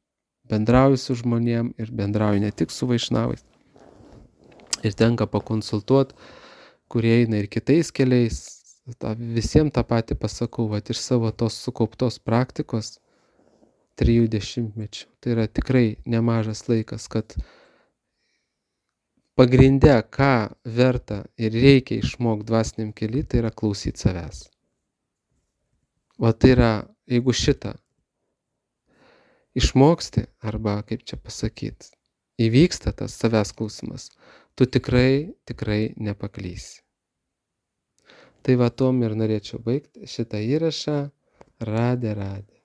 bendrauju su žmonėm ir bendrauju ne tik su vaišnavais. Ir tenka pakonsultuoti, kurie eina ir kitais keliais. Visiems tą patį pasakau, vat iš savo tos sukauptos praktikos 30 mečių. Tai yra tikrai nemažas laikas, kad pagrinde, ką verta ir reikia išmokti dvasiniam kely, tai yra klausyti savęs. O tai yra, jeigu šitą išmoksti, arba kaip čia pasakyti, įvyksta tas savęs klausimas, tu tikrai nepaklysi. Tai va tom ir norėčiau baigti šitą įrašą. Radė.